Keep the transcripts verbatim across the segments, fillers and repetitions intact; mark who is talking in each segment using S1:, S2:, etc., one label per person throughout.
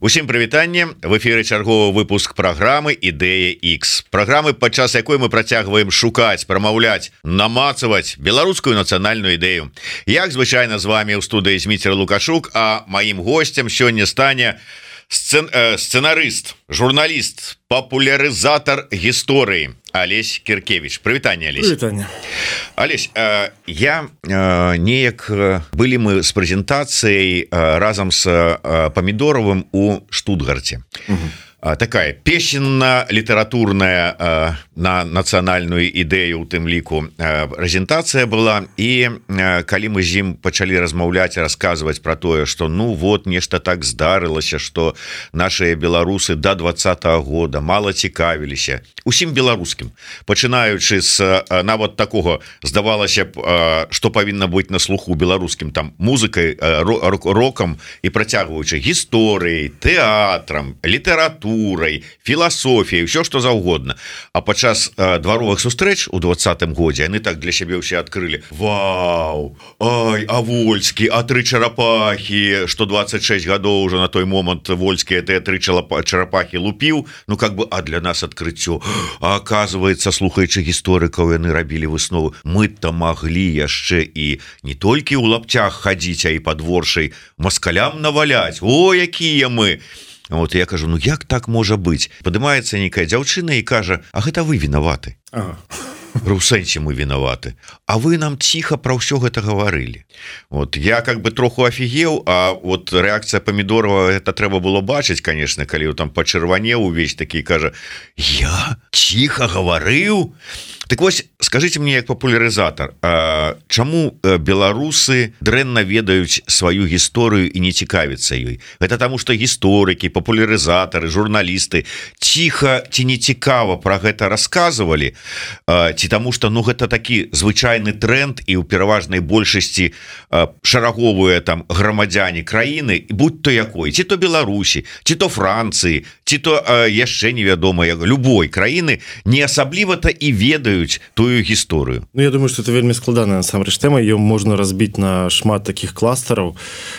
S1: Усім прывітанне, в эфіры чарговы выпуск праграмы Ідэя X. Праграмы, падчас якой мы працягваем шукаць, прамаўляць, намацаваць беларускую нацыянальную ідэю. Як звычайна з вами ў студыі Зміцер Лукашук, а маім госцем сёння стане сцэн... э, сцэнарыст, журналіст, папулярызатар гісторыі Алесь Кіркевіч. Прывітанне, Алесь.
S2: Прывітанне.
S1: Алесь, э, я э, неяк былі мы з прэзентацыяй э, разам з э, Памідоровым у Штутгарце. Угу. Такая песенна-літаратурная э, на нацыянальную ідэю у тым ліку э, прэзентацыя была, і э, калі мы з ім пачалі размаўляць, расказваць про тое, что ну вот нешта так здарылася, что наши беларусы до двадцатого года мало цікавіліся усім беларускім, пачынаючы з э, нават такого, здавалася б, э, что павінна быць на слуху беларускім, там музыкай, э, рокам, і працягваючы гісторыяй, тэатрам, літаратурай, філасофіяй, все что заўгодна. А падчас э, дваровых сустрэч у двадцатым годзе яны так для сябе ўсе адкрылі: вау, ай, а Вольскі, а тры чарапахі, что двадцать шесть гадоў уже на той момант Вольскі это тры чарапахі лупіў, ну как бы, а для нас адкрыццё. А оказывается, слухаючы гісторыкаў, яны рабілі выснову: мы-то маглі яшчэ і не толькі ў лапцях хадзіць, а і падворшай маскалям наваляць. О, якія мы! Вот я кажу, ну як так можа быць? Падымаецца нейкая дзяўчына і кажа: а гэта вы вінаваты. Ага. У сэнсе мы вінаваты, а вы нам ціха про ўсё гэта гаварылі. Вот я как бы троху офігеў, а вот рэакцыя Памідорова, это трэба было бачыць, конечно, калі там пачырванеў увесь такі, кажа: я ціха гаварыў. Так вось, скажите мне, як папулярызатар, а чаму беларусы дрэнна ведаюць сваю гісторыю і не цікавяцца ёй? Гэта таму, што гісторыкі, папулярызатары, журналісты ціха ці не цікава пра гэта расказвалі, ці таму, што ну гэта такі звычайны тренд, і ў пераважнай большасці шараговыя там грамадзяне краіны, будь то якой, ці то Беларусі, ці то Францыі, ці то яшчэ невядома любой краіны, не асабліва-то і ведаюць тую гісторыю.
S2: Ну, я думаю, что это вельмі складаная насамрэч тэма, ее можно разбить на шмат таких кластеров.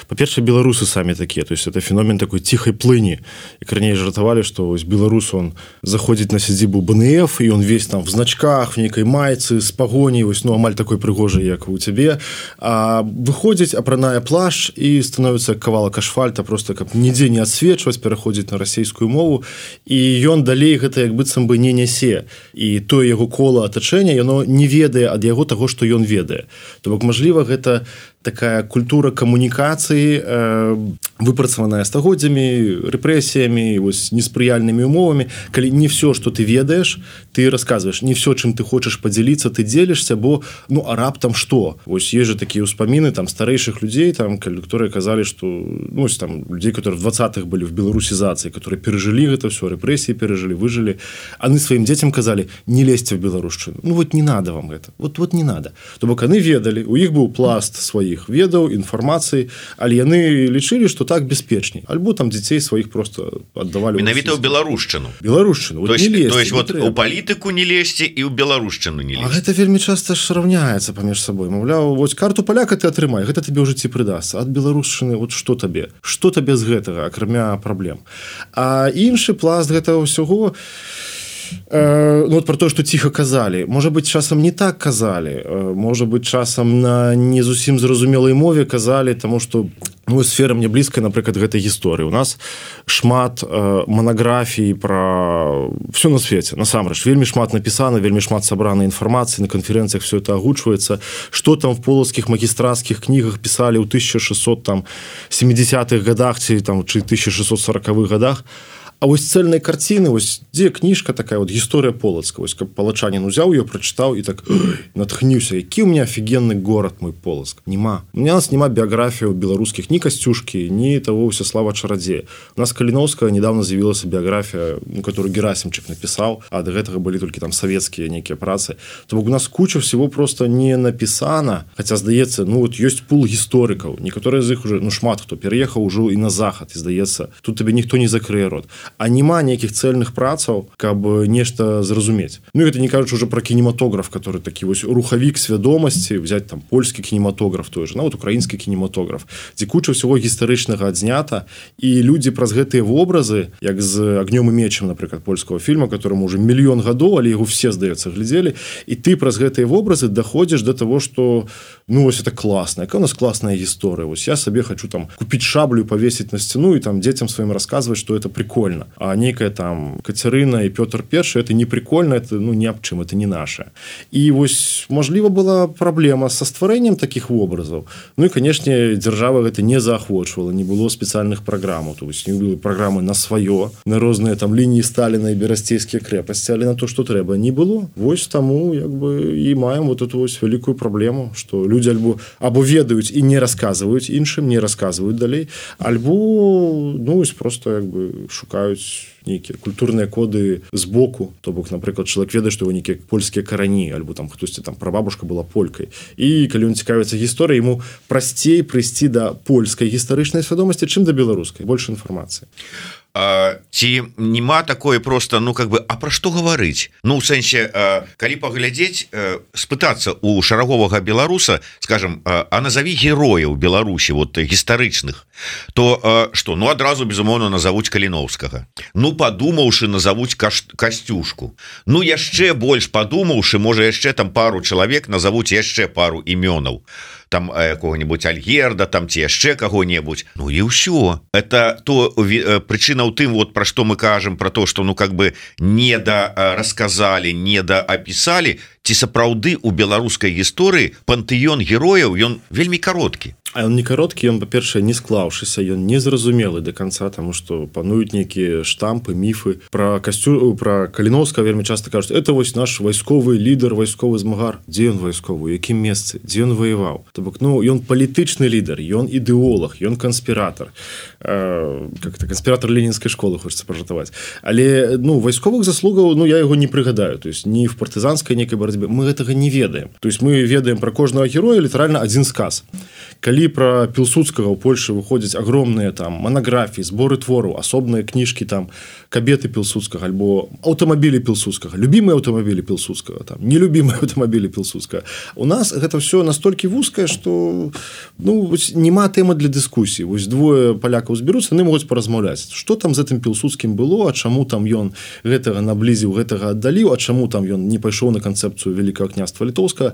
S2: По-перше, белорусы сами такие, то есть это феномен такой тихой плыни. И корней жартовали, что белорус, он заходит на сядзібу бэ эн эф, и он весь там в значках, в некой майцы, с погоней, ну, амаль такой прыгожий, як у тебе, а выходит, апраная плащ, и становится кавалак асфальта, просто как нідзе не отсвечивать, переходит на российскую мову, и он далей гэта як быццам бы не нясе. И то его кола атачэння, яно не ведае ад яго таго, што ён ведае. То бок, мажліва, гэта такая культура камунікацыі, э, выпрацаваная стагоддзямі, рэпрэсіямі, вось неспрыяльнымі умовамі, калі не все, што ты ведаеш, ты расказваеш, не все, чым ты хочаш падзяліцца, ты дзелішся, бо ну а раптам што? Вось есть же такія ўспаміны там старэйшых людзей, там, которые казалі, што ну, ось, там людзей, которые в двадцатых былі в беларусізацыі, которые перажылі гэта все, рэпрэсіі перажылі, выжылі, яны сваім дзецям казалі: не лезьце в беларушчыну. Ну вот не надо вам гэта. Вот вот не надо. То бок яны ведалі, у іх быў пласт сваіх ведаў, інфармацыі, але яны лічылі, што так бяспечней. Альбо там дзяцей сваіх просто аддавалі.
S1: Менавіта ў беларушчыну.
S2: Беларушчыну.
S1: Вот то есть, лезьте, то есть вот у палітыку не лезьце і ў беларушчыну не лезьце.
S2: А гэта вельмі часта ж раўняецца паміж сабой. Маўляў, вось карту паляка ты атрымай, гэта табе ў жыцці прыдасца. Ад беларушчыны вот што табе? Што табе з гэтага, акрамя праблем? А іншы пласт гэтага ўсяго, ну, вот про то, что ціха казалі. Можа быць, часам не так казалі. Можа быць, часам на не зусім зразумелай мове казалі, таму што ну, сфера мне блізкая, напрыклад, гэтай гісторыі. У нас шмат э, манаграфій пра все на свеце. Насамрэч, вельмі шмат напісана, вельмі шмат сабранай інфармацыі, на канферэнцыях все это агучваецца. Што там в полацкіх магістратскіх кнігах пісалі ў тысяча шэсцьсот семидесятых годах ці там чи тысяча шэсцьсот сорокавых годах. А вось цельнай карціны, вось дзе кніжка такая, вот гісторыя Полацка, вось каб палачанін узяў ее, прачытаў і так натхніўся, які ў меня офігенны горад мой Полацк. Нема. У нас няма біяграфіяў беларускіх, ні Касцюшкі, ні того Всеслава Чарадзея. У нас Каліновская недавно з'явілася біяграфія, которую Герасимчык напісаў, а да гэтага былі толькі там савецкія нейкія працы. То бок у нас куча всего просто не напісана, хаця здаецца, ну вот ёсць пул гісторыкаў, некаторыя з іх уже, ну шмат хто пераехаў ужо і на захад, і здаецца, тут табе ніхто не закрые рот. а няма нейкіх цэльных працаў, каб нешта зразумець. Ну гэта не кажучы уже про кінематограф, который такі вось рухавік свядомасці, взять там польскі кінематограф той же, нават украінскі кінематограф, дзе куча ўсяго гістарычнага адзнята, і людзі праз гэтыя вобразы, як з агнём і мечам, напрыклад, польскага фільма, которому уже мільён гадоў, але яго все, здаецца, глядзелі, і ты праз гэтыя вобразы даходзіш до того, что ну вось это класна, якая у нас класная гісторыя. Вось я сабе хочу там купіць шаблю і павесіць на сцяну і там дзецям сваім расказваць, что это прикольно. А некая там Кацярына і Пётр Першы, это не прикольно, это ну ні аб чым, это не наше. І вось можліва была праблема са стварэннем такіх вобразаў. Ну і канешне, дзяржава гэта не заахвочвала, не было спецыяльных праграмаў, то есть не было праграмы на сваё, на розныя там лініі Сталіна і берасцейскія крэпасці, але на то, што трэба, не было. Вось таму як бы і маем вот эту вось вялікую праблему, што людзі альбо або ведаюць і не расказваюць іншым, не расказваюць далей, альбо ну вось просто як бы шукаюць нейкія культурныя коды з боку, то бок, напрыклад, чалавек ведае, што его нейкія польскія карані, альбо там хтосьці там прабабушка была полькай. І калі ён цікавіцца гісторыяй, яму прасцей прыйсці да польскай гістарычнай свядомасці, чым да беларускай. Больш інфармацыі.
S1: А, ці нема такое просто, ну как бы, а пра што гаварыць? Ну у сэнсе, а, калі паглядзець, а, спытацца у шараговага беларуса, скажем, а, а назаві герояў Беларусі вот гістарычных, то а, што, ну адразу безумоўна назавуць Каліноўскага. Ну падумаўшы, назавуць Каш... Касцюшку. Ну яшчэ больш падумаўшы, можа яшчэ там пару чалавек назавуць яшчэ пару імёнаў. Там какого-нибудь Альгерда, там ці яшчэ кого-нибудь. Ну и ўсё. Это то причина ў тым, вот про что мы кажем, про то, что ну как бы не да рассказали, не да описали, ці сапраўды у беларускай гісторыі пантэён герояў, ён вельмі кароткі.
S2: А он не кароткі, ён, па-першае, не склаўшыся, ён незразумелы до конца, тому что пануюць нейкія штампы, міфы. Про Касцю, про Каліноўскага вельмі часто кажуць, это вось наш вайсковы лідар, вайсковы змагар. Дзе ён вайсковы, у якім месцы, дзе ён воеваў? То бок, ну, ён палітычны лідар, ён ідэолог, ён канспіратор. Э, как-то канспіратор ленінскай школы, хочется пожартаваць. Але, ну, вайсковых заслугаў, ну, я яго не прыгадаю. То есть, ні в партызанскай нейкай барацьбе. Мы гэтага не ведаем. То есть, мы ведаем про кожнага героя літаральна адзін сказ. Калі про Пілсудскага ў Польшы выходзяць агромныя там манаграфіі, зборы твораў, асобныя кніжкі там кабеты Пілсудскага альбо аўтамабілі Пілсудскага, любімыя аўтамабілі Пілсудскага, там нелюбімыя аўтамабілі Пілсудскага. У нас гэта все настолькі вузкае, што ну няма тэмы для дыскусіі. Вось двое палякаў зберуцца, яны могуць паразмаўляць, што там з гэтым Пілсудскім было, а чаму там ён гэтага наблізіў, гэтага аддаліў, а чаму там ён не пайшоў на канцэпцыю вялікага княства літоўскага.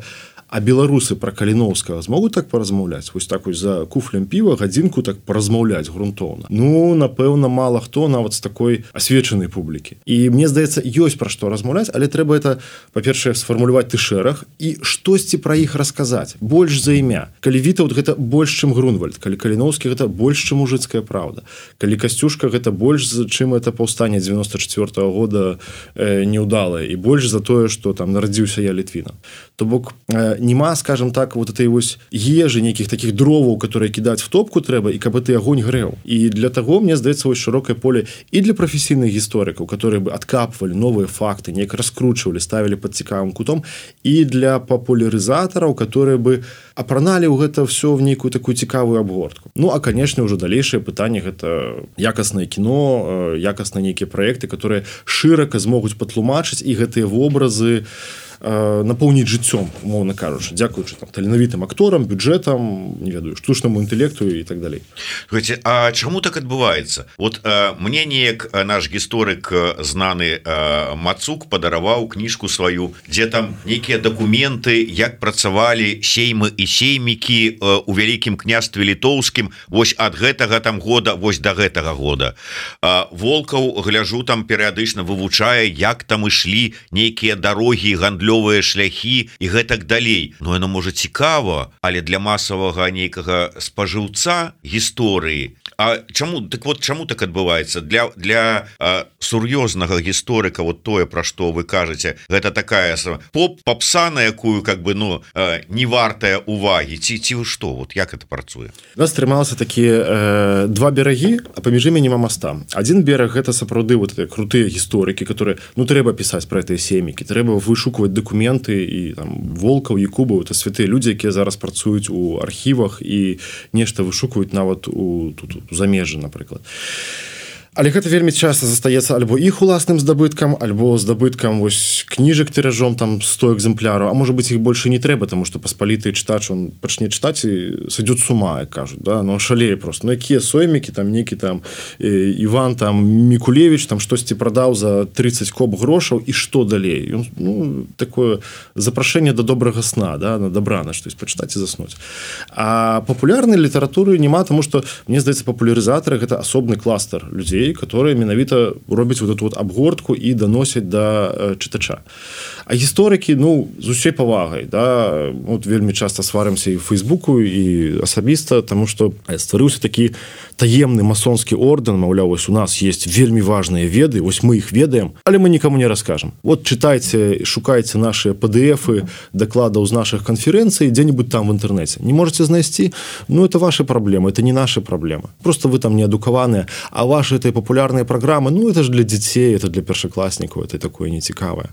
S2: А беларусы про Каліноўскага змогуць так паразмаўляць, вось так вось за куфлем піва гадзінку так паразмаўляць грунтоўна. Ну напэўна мала хто нават з такой асвечанай публікі. І мне здаецца, ёсць пра што размаўляць, але трэба это, па-першае, сфармуляваць ты шэраг і штосьці пра іх расказаць, больш за імя. Калі Вітаўт гэта больш чым Грунвальд, калі Каліноўскі гэта больш чым мужыцкая праўда, калі Касцюшка гэта больш чым это паўстанне дзевяносто четвёртого года э, неўдалае і больш за тое, што там нарадзіўся я Літвінам. То бок э, нема, скажем так, вот этой вось ежы, нейкіх таких дроваў, которые кідаць в топку трэба, і каб ты агонь грэў. І для таго, мне здаецца, вось шырокае поле і для прафесійных гісторыкаў, которые бы адкапвалі новыя факты, неяк раскручвалі, ставілі пад цікавым кутом, і для папулярызатараў, которые бы апраналі ў гэта все в нейкую такую цікавую абгортку. Ну, а, конечно, ўжо далейшае пытанне гэта якаснае кіно, якасныя нейкія праекты, которые шырака змогуць патлумачыць і гэтыя вобразы напоўніць жыццём, умоўна кажучы, дзякуючы там таленавітым акторам, бюджэтам, не ведаю, штучнаму інтэлекту і так далей.
S1: Слушайте, а чаму так адбываецца? Вот э, мне неяк наш гісторык знаны э, Мацук падараваў кніжку сваю, дзе там нейкія дакументы, як працавалі сеймы і сеймікі э, у вялікім княстве літоўскім вось ад гэтага там года вось да гэтага года. Э, Волкаў, гляжу, там перыядычна вывучае, як там ішлі нейкія дарогі, гандлёвыя шляхі і гэтак далей. Ну яно можа цікава, але для масавага нейкага спажыўца гісторыі. А чаму так вот чаму так адбываецца? Для для а, сур'ёзнага гісторыка вот тое, пра што вы кажаце, гэта такая поп попса, на якую как бы ну а, не вартая увагі, ці ці што, вот як это працуе?
S2: У нас трымалася такія э, два берагі, а паміж імі няма моста. Адзін бераг гэта сапраўды вот крутыя гісторыкі, которые ну трэба пісаць пра гэтыя семікі, трэба вышукваць дакументы і там Волкаў, Якубаў, это святыя людзі, якія зараз працуюць у архівах і нешта вышукваюць нават у тут у замежжы, напрыклад. Але гэта вельмі часта застаецца альбо іх уласным здабыткам, альбо здабыткам вось кніжак тыражом там сто экземпляраў, а можа быць іх больше не трэба, тому што паспаліты чытач он пачне чытаць і сойдёт с ума, як кажуць, да? Ну шалее просто. Ну якія соймікі там некі там э, Іван там Мікулевич там штосьці прадаў за тридцать коп грошаў і што далей? Ён, ну такое запрашэнне да добрага сна, да, на дабрана штось пачытаць і заснуць. А папулярнай літаратуры няма, тому што мне здаецца папулярызатары гэта асобны кластер людзей, которые менавіта робяць вот эту вот абгортку і даносяць да э, чытача. А гісторыкі, ну, з усёй павагай, да, вот вельмі часта сварымся і ў Фейсбуку, і асабіста, таму што стварыўся такі таемны масонскі ордэн, маўляў, вось у нас есть вельмі важныя веды, вось мы іх ведаем, але мы нікому не раскажам. Вот чытайце, шукайце нашыя пэ дэ эфы дакладаў з нашых канферэнцый дзе-нибудь там в інтэрнэце. Не можете знайсці? Ну, это ваши проблемы, это не наши проблемы. Просто вы там не адукаваныя, а ваши этой популярные программы, ну, это же для детей, это для першаклассников, это такое нецікавае.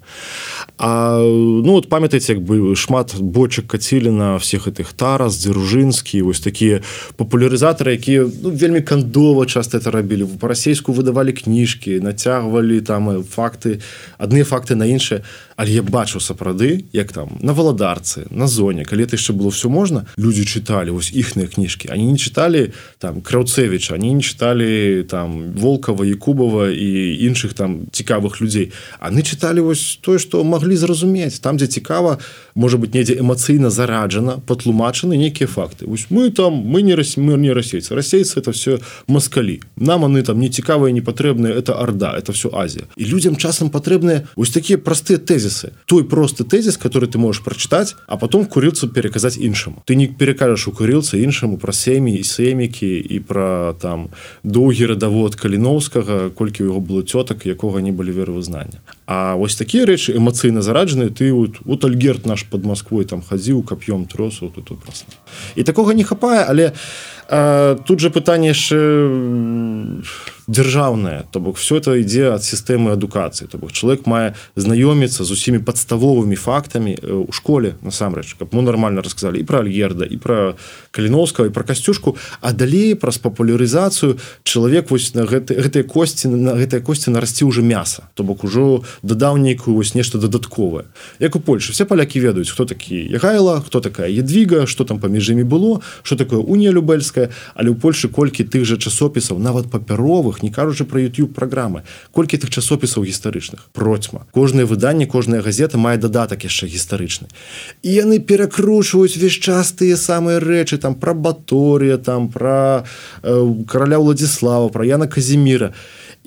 S2: А, ну, вот памятаеце, як бы шмат бочак кацілі на всех этих Тарас, Дзержинскі, вось такія папулярызатары, якія, ну, вельмі кандова часто это рабілі. Па-расейску выдавалі кніжкі, нацягвалі там факты, адныя факты на іншыя. Але я бачыў сапраўды, як там на Валадарцы, на Зоне, калі это яшчэ было все можна, людзі чыталі вось іхныя кніжкі. Они не чыталі там Краўцевіча, они не чыталі там Волкова, Якубова і іншых там цікавых людзей. Они чыталі вось тое, што маглі зразумець. Там, дзе цікава, можа быць, недзе эмацыйна зараджана, патлумачаны нейкія факты. Вось мы там, мы не, рас... мы не расейцы. Расейцы это все москалі. Нам они там не цікавыя, не патрэбныя, это Орда, это все Азія. І людзям часам патрэбныя вось такія простыя тэзісы. Той простый тезис, который ты можешь прочитать, а потом курилцу переказать іншаму. Ты не перекажешь у курилцу іншаму про сем'і і семікі і про там доўгі радавод Каліноўскага, колькі у яго было цётак, якога не былі веравызнання. А вось такія рэчы эмацыйна зараджаныя, ты вот, вот Альгерт наш под Москвой там хадзіў, кап'ём трос, вот тут просто. І такога не хапае, але а, тут же пытанне яшчэ дзяржаўнае, то бок все это ідзе ад сістэмы адукацыі, то бок чалавек мае знаёміцца з усімі падставовымі фактамі ў школе насамрэч, каб мы нармальна расказалі і пра Альгерда, і пра Каліноўскага, і пра Касцюшку, а далей праз папулярызацыю чалавек вось на гэты, гэтыя косці на гэтыя косці нарасці ўжо мяса, то бок ужо дадаў нейкую вось нешта дадатковае. Як у Польшы все палякі ведаюць, хто такі Ягайла, хто такая Едвіга, што там паміж імі было, што такое Унія Любельская, але ў Польшы колькі тых жа часопісаў, нават папяровых, не кажучы пра YouTube праграмы, колькі тых часопісаў гістарычных, процьма. Кожнае выданне, кожная газета мае дадатак яшчэ гістарычны. І яны перакручваюць увесь час тыя самыя рэчы, там пра Баторія, там пра э, караля Уладзіслава, пра Яна Казіміра.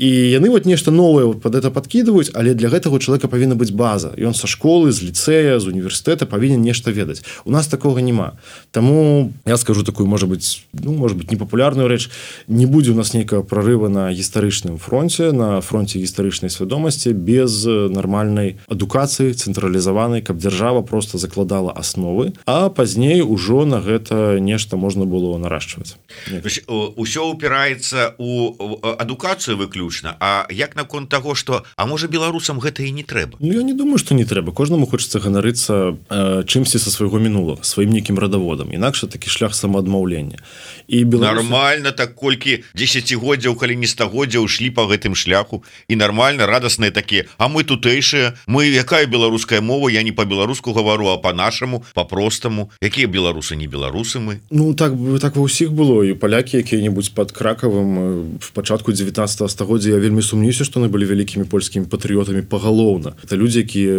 S2: І яны вот нешта новае вот под это подкидываюць, але для гэтага у чалавека павінна быць база. Ён са школы, з ліцэя, з універсітэта павінен нешта ведаць. У нас такога няма. Таму я скажу такую, можа быць, ну, можа быць, непапулярную рэч. Не будзе у нас нейкага прарыва на гістарычным фронце, на фронте гістарычнай свядомасці без нармальнай адукацыі, цэнтралізаванай, каб дзяржава просто закладала асновы, а пазней ужо на гэта нешта можна было нараджваць.
S1: Усё упіраецца у адукацыю выключна. А як наконт таго, што а можа беларусам гэта і не трэба?
S2: Ну, я не думаю, што не трэба. Кожнаму хочацца ганарыцца э, чымсьці са свайго мінулага, сваім нейкім радаводам. Інакш такі шлях самаадмаўлення. І беларусы... Нармальна,
S1: так колькі дзесяцігоддзяў, калі не стагоддзяў ішлі па гэтым шляху, і нармальна, радасныя такія, а мы тутэйшыя, мы якая беларуская мова, я не па-беларуску гавару, а па-нашаму, па-простаму. Якія беларусы, не беларусы мы?
S2: Ну, так, так ва ўсіх было. І палякі, якія-небудзь пад Кракавым в пачатку дзевятнаццатага стагоддзя, я вельмі сумнюся, што яны былі вялікімі польскімі патрыётамі пагалоўна. Это людзі, якія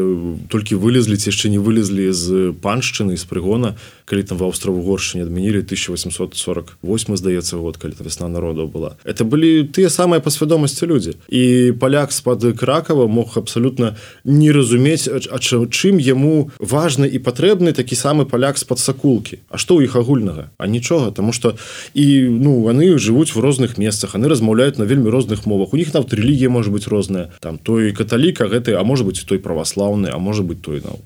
S2: толькі вылезлі, ці яшчэ не вылезлі з паншчыны, з прыгона, калі там в Аўстра-Угоршчыне адмянілі тысяча восемьсот сорок восьмы, здаецца, год, калі там вясна народаў была. Это былі тыя самыя па свядомасці людзі. І паляк з-пад Кракава мог абсалютна не разумець, а чым яму важны і патрэбны такі самы паляк з-пад Сакулкі. А што ў іх агульнага? А нічога, таму што і, ну, яны жывуць в розных месцах, яны размаўляюць на вельмі розных мовах. У них нават рэлігія можа быць розная. Там той каталік, а гэты, а можа быць той праваслаўны, а можа быць той, ну,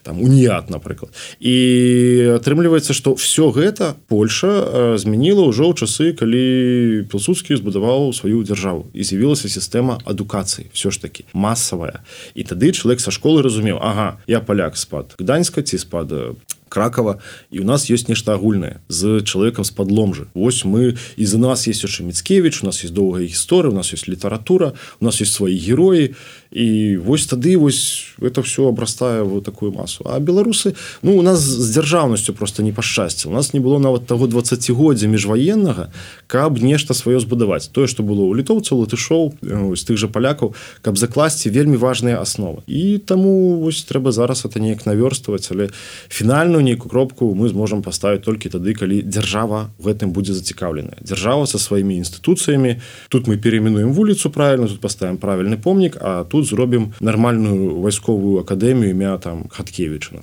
S2: там уніят, напрыклад. І атрымліваецца, што все гэта Польша змяніла ўжо ў часы, калі Пілсудскі збудаваў сваю дзяржаву і з'явілася сістэма адукацыі, все ж таки масавая. І тады чалавек са школы разумеў: ага, я паляк з-пад Гданьска ці з-пад Кракова, і у нас ёсць нешта агульнае з чалавекам з падломжы. Вось мы, і за нас есть яшчэ Міцкевіч, у нас есть доўгая гісторыя, у нас есть літаратура, у нас есть свае героі, і вось тады вось это все абрастае в такую масу. А беларусы, ну, у нас з дзяржаўнасцю просто не пашчасціла. У нас не было нават таго дваццацігоддзя міжваеннага, каб нешта сваё збудаваць. Тое, што было ў літоўцаў, латышоў, з тых жа палякаў, каб закласці вельмі важныя асновы. І таму вось трэба зараз это неяк навёрстваваць, але фінальную нейкую кропку мы зможам паставіць толькі тады, калі дзяржава в гэтым будзе зацікаўленая. Дзяржава са сваімі інстытуцыямі. Тут мы перейменуем вуліцу правільна, тут паставім правільны помнік, а тут зробім нармальную вайсковую акадэмію імя там Хаткевіча.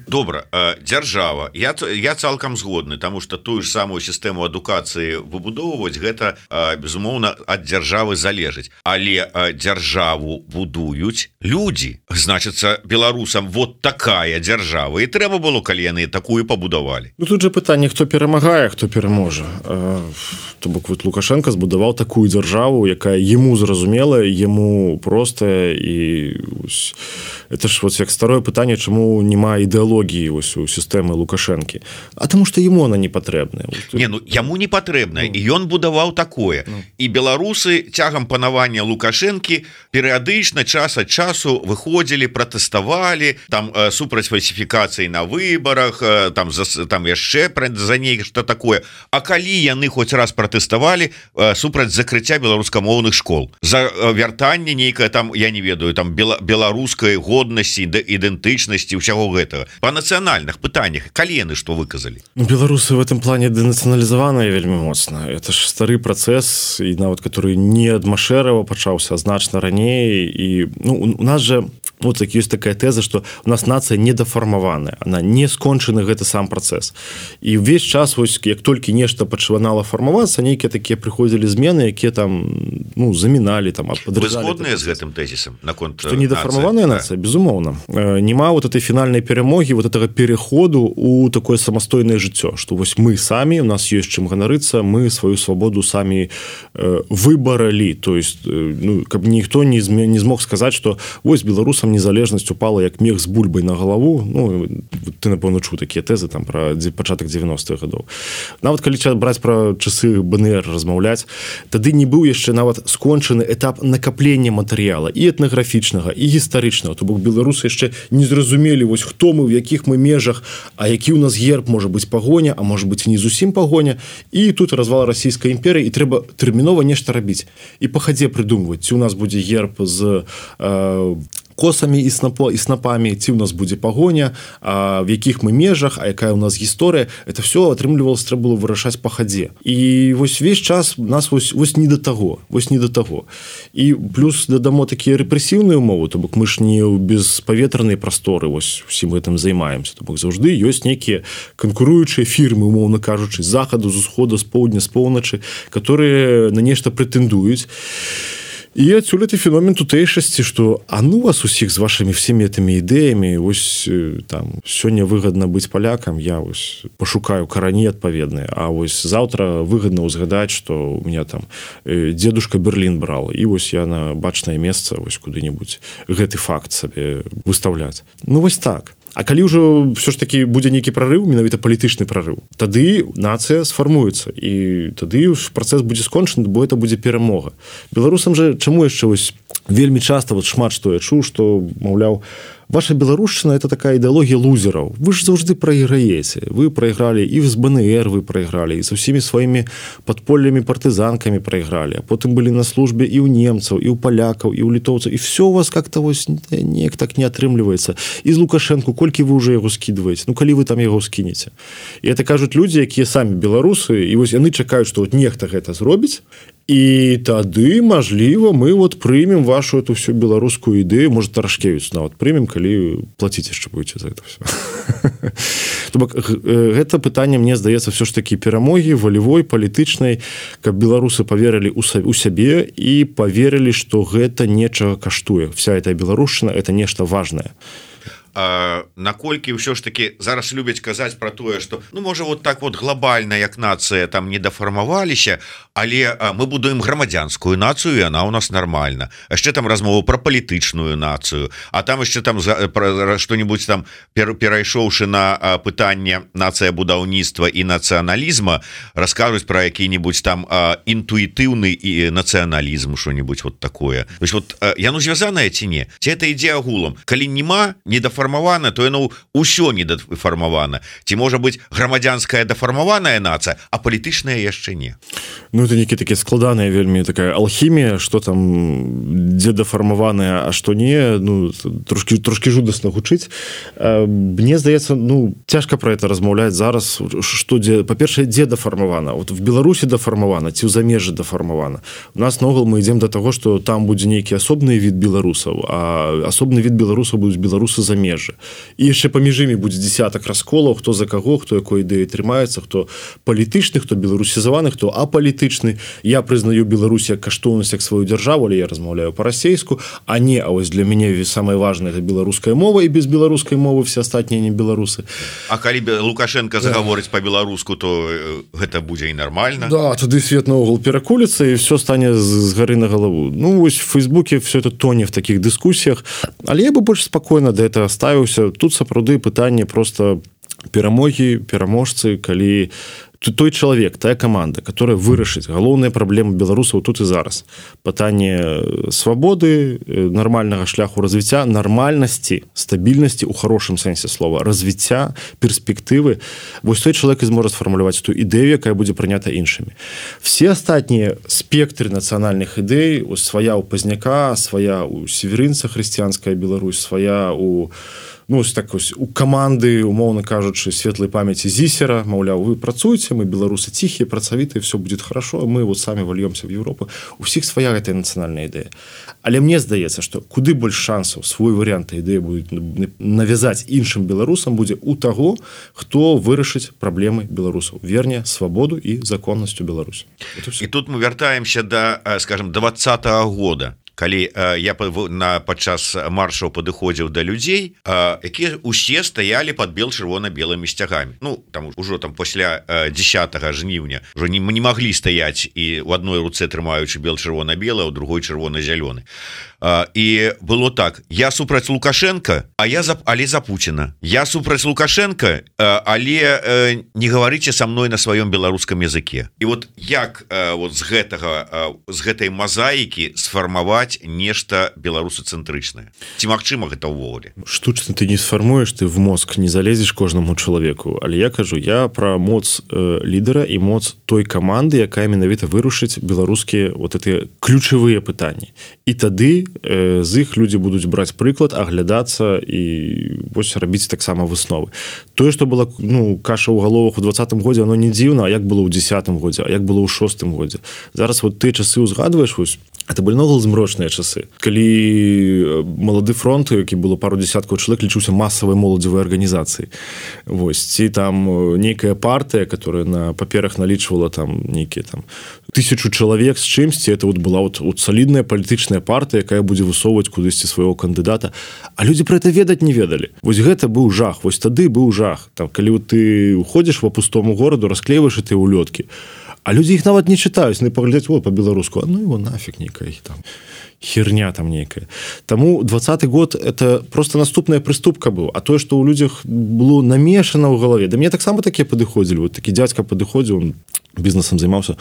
S1: Добра, дзяржава. Я, я цалкам згодны, таму што тую ж самую сістэму адукацыі выбудоўваць, гэта, безумоўна, ад дзяржавы залежыць. Але дзяржаву будуюць людзі. Значыцца, беларусам вот такая дзяржава. І трэба было, калі яны такую пабудавалі.
S2: Ну тут же пытанне, хто перамагае, хто пераможа. То бок вот Лукашенко збудаваў такую дзяржаву, якая яму зразумелая, яму простая, і это ж вот як старое пытанне, чаму няма ідэалогіі вось у сістэмы Лукашэнкі. А таму што яму она не патрэбная.
S1: Не, ну яму не патрэбная, ну. І ён будаваў такое. Ну. І беларусы цягам панавання Лукашэнкі перыядычна час ад часу выходзілі, пратэставалі, там супраць фальсіфікацыі на выбарах, там, за, там яшчэ за нешта такое. А калі яны хоць раз пратэставалі супраць закрыцця беларускамоўных школ, за вяртанне нейкае там, я не ведаю, там беларускай годнасці, ідэнтычнасці, ўсяго гэтага. Па нацыянальных пытаннях, калі яны што выказалі?
S2: Беларусы в этом плане дэнацыяналізаваныя вельмі моцна. Это ж стары працэс, і нават который не ад Машэрава пачаўся, а значна раней. І ну, у нас же вот так ёсць такая тэза, што у нас нацыя недафармаваная, она не скончаны гэты сам працэс. І ўвесь час вось як толькі нешта пачынала фармавацца, нейкія такія прыходзілі змены, якія там ну заміналі там.
S1: Вы згодныя з гэтым тэзісам наконт
S2: што недафармаваная нацыя, безумоўна. Нема вот этой фінальнай перамогі, вот этого пераходу у такое самастойнае жыццё, што вось мы самі, у нас ёсць чым ганарыцца, мы сваю свабоду самі э, выбаралі, то есть э, ну, каб ніхто не, зме, не змог сказаць, што вось беларусам незалежнасць упала як мех з бульбай на галаву. Ну ты напэўна чуў такія тэзы там пра пачатак дзевяностых гадоў. Нават калі браць пра часы БНР размаўляць, тады не быў яшчэ нават скончаны этап накаплення матэрыяла і этнаграфічнага, і гістарычнага. То бок беларусы яшчэ не зразумелі вось хто мы, в якіх мы межах, а які ў нас герб, можа быць пагоня, а можа быць не зусім пагоня. І тут развал расійскай імперыі, і трэба тэрмінова нешта рабіць. І па хадзе прыдумваць, ці ў нас будзе герб з э, косамі і снапо і снапамі, ці ў нас будзе пагоня, а в якіх мы межах, а якая ў нас гісторыя, это все атрымлівалось, трэба было вырашаць па хадзе. І вось весь час нас вось, вось не да таго, вось не да таго. І плюс дадамо такія рэпрэсіўныя ўмовы, то бок мы ж не ў беспаветранай прасторы вось усім гэтым займаемся. То бок заўжды ёсць нейкія канкуруючыя фірмы, умоўна кажучы, з захаду, з усходу, з поўдня, з поўначы, которые на нешта прэтэндуюць. І адсюль это феномен тутэйшасці, што а ну вас усіх з вашымі всеми этими ідэямі, вось там сёння выгадна быць палякам, я вось пашукаю карані адпаведныя, а вось заўтра выгадна ўзгадаць, што у меня там дзедушка Берлін брал, і вось я на бачнае месца вось куды-небудзь гэты факт сабе выстаўляць. Ну вось так. А калі ўжо ўсё ж такі будзе нейкі прарыў, менавіта палітычны прарыў, тады нацыя сфармуецца, і тады працэс будзе скончаны, бо это будзе перамога. Беларусам жа чаму яшчэ вось вельмі часта вот шмат што я чуў, што маўляў, ваша беларушчына это такая ідэалогія лузераў. Вы ж заўжды прайграеце. Вы прайгралі і з БНР вы прайгралі, і са ўсімі сваімі падполлямі партызанкамі прайгралі, а потым былі на службе і ў немцаў, і ў палякаў, і ў літоўцаў, і все у вас как-то вось неяк так не атрымліваецца. І з Лукашэнку колькі вы ўжо яго скідваеце? Ну калі вы там яго скінеце? І это кажуць людзі, якія самі беларусы, і вось яны чакаюць, што вот нехта гэта зробіць, і тады, мажліва, мы вот прымем вашу эту всю беларускую ідэю, можа Тарашкевіч нават прымем, калі плаціць яшчэ будзеце за это все. То бок гэта пытанне, мне здаецца, все ж такі перамогі волевой, палітычнай, каб беларусы поверылі у сябе і поверылі, што гэта нечага каштуе. Вся эта беларушчына это нешта важнае.
S1: наколькі ўсё ж таки зараз любяць казаць про тое, что ну можа вот так вот глобальна як нацыя там не дафармаваліся, але мы будуем грамадзянскую нацыю, і она у нас нормальна. Яшчэ там размову про палітычную нацыю, а там яшчэ там что-нибудь там перайшоўшы на пытанне нацыя будаўніцтва і нацыяналізма, раскажуць про які-нибудь там інтуітыўны і нацыяналізм, что-нибудь вот такое. То есть вот яно звязанае ці не? Ці это ідзе агулам? Калі нема недафармавана, то яно ўсё недафармавана. Ці можа быць грамадзянская дафармаваная нацыя, а палітычная яшчэ не?
S2: Ну это нейкі такі складаная вельмі такая алхімія, что там дзе дафармаваная, а што не, ну трошки трошки жудасна гучыць. Мне здаецца, ну цяжка про это размаўляць зараз, што дзе, па-першае, дзе дафармавана. Вот в Беларусі дафармавана, ці ў замежжы дафармавана. У нас ногул мы ідзем до того, что там будзе нейкі асобны від беларусаў, а асобны від беларусаў будуць беларусы замежжа. І яшчэ паміж імі будзе десятак расколаў, хто за каго, хто якой ідэі трымаецца, хто палітычны, хто беларусізаваны, хто апалітычны. Я прызнаю Беларусь як каштоўнасць, як сваю дзяржаву, але я размаўляю па-расейску, а не, а вось для мяне самае важнае это беларуская мова, і без беларускай мовы все астатнія не беларусы.
S1: А калі Лукашенко загаворыць да. Па-беларуску, то гэта будзе і нармальна.
S2: Да, тады свет наогул перакуліцца і все стане з гары на галаву. Ну вось в Фейсбуке все это тоне в таких дыскусіях, але я бы больш спакойна да этого ставіўся. Тут сапраўды пытанне просто перамогі, пераможцы, калі той чалавек, тая каманда, которая вырашыць галоўныя праблемы беларусаў тут і зараз. Пытанне свабоды, нармальнага шляху развіцця, нармальнасці, стабільнасці ў хорошым сэнсе слова, развіцця, перспектывы. Вось той чалавек і зможа сфармуляваць ту ідэю, якая будзе прынята іншымі. Все астатнія спектры нацыянальных ідэй, свая ў Пазняка, свая ў Северынца, хрысціянская Беларусь, свая ў ну, так ось, у каманды, умоўна кажучы, светлай памяці Зісера, маўляў, вы працуеце, мы беларусы ціхія, працавітыя, все будет хорошо, мы вот самі вольёмся в Европу. У всіх свая гэтая нацыянальная ідэя. Але мне здаецца, што куды больш шансаў свой варыянт ідэі будуць навязаць іншым беларусам будзе у таго, хто вырашыць праблемы беларусаў. Верне, свабоду і законнасць у Беларусі.
S1: І тут мы вяртаемся да, скажем, двадцатага года. Калі э, я на падчас маршаў падыходзіў да людзей, э, якія усе стаялі под бел-чырвона-белымі сцягамі. Ну там ужо там пасля э, дзесятага жніўня ўжо не, не маглі стаяць і у адной руцэ трымаючы бел-чырвона-белы, у другой чырвона-зялёны. Э, і было так: я супраць Лукашенко, а я за, але за Пуціна. Я супраць Лукашенко, э, але э, не гаварыце са мной на сваём беларускам языке. І вот як э, вот з гэтага э, з гэтай мазаікі сфармаваць нешта беларусацэнтрычнае? Ці магчыма гэта ўвогуле?
S2: Штучна ты не сфармуеш, ты в мозг не залезеш кожнаму чалавеку. Але я кажу, я пра моц э, лідара і моц той каманды, якая менавіта вырушыць беларускія вот эти ключавыя пытанні. І тады э, з іх людзі будуць браць прыклад, аглядацца і вось рабіць таксама высновы. Тое, што была ну, каша ў галовах у двадцатым годзе, оно не дзіўна, а як было ў дзесятым годзе, а як было ў шостым годзе. Зараз вот ты часы ўзгадваеш, вось, это былі ногул змрочныя часы. Калі малады фронт, які было пару десяткаў чалавек, лічыўся масавай моладзевай арганізацыі. Вось, ці там нейкая партыя, которая на паперах налічвала там нейкія там тысячу чалавек з чымсьці, это вот была вот, вот салідная палітычная партыя, якая будзе высоўваць кудысьці свайго кандыдата. А людзі про это ведаць не ведалі. Вось гэта быў жах. Вось тады быў жах. Там, калі вот ты уходзіш по пустому гораду, расклейваеш эти улёткі. А люди их нават не читаюць, не паглядаць вот по-беларуску, а ну его нафиг нейкая там херня там нейкая. Таму двадцаты год это просто наступная прыступка быў, а тое, што ў людзях было намешана ў галаве. Да мне таксама такія падыходзілі, вот такі дзядзька падыходзіў, он бізнесам займаўся,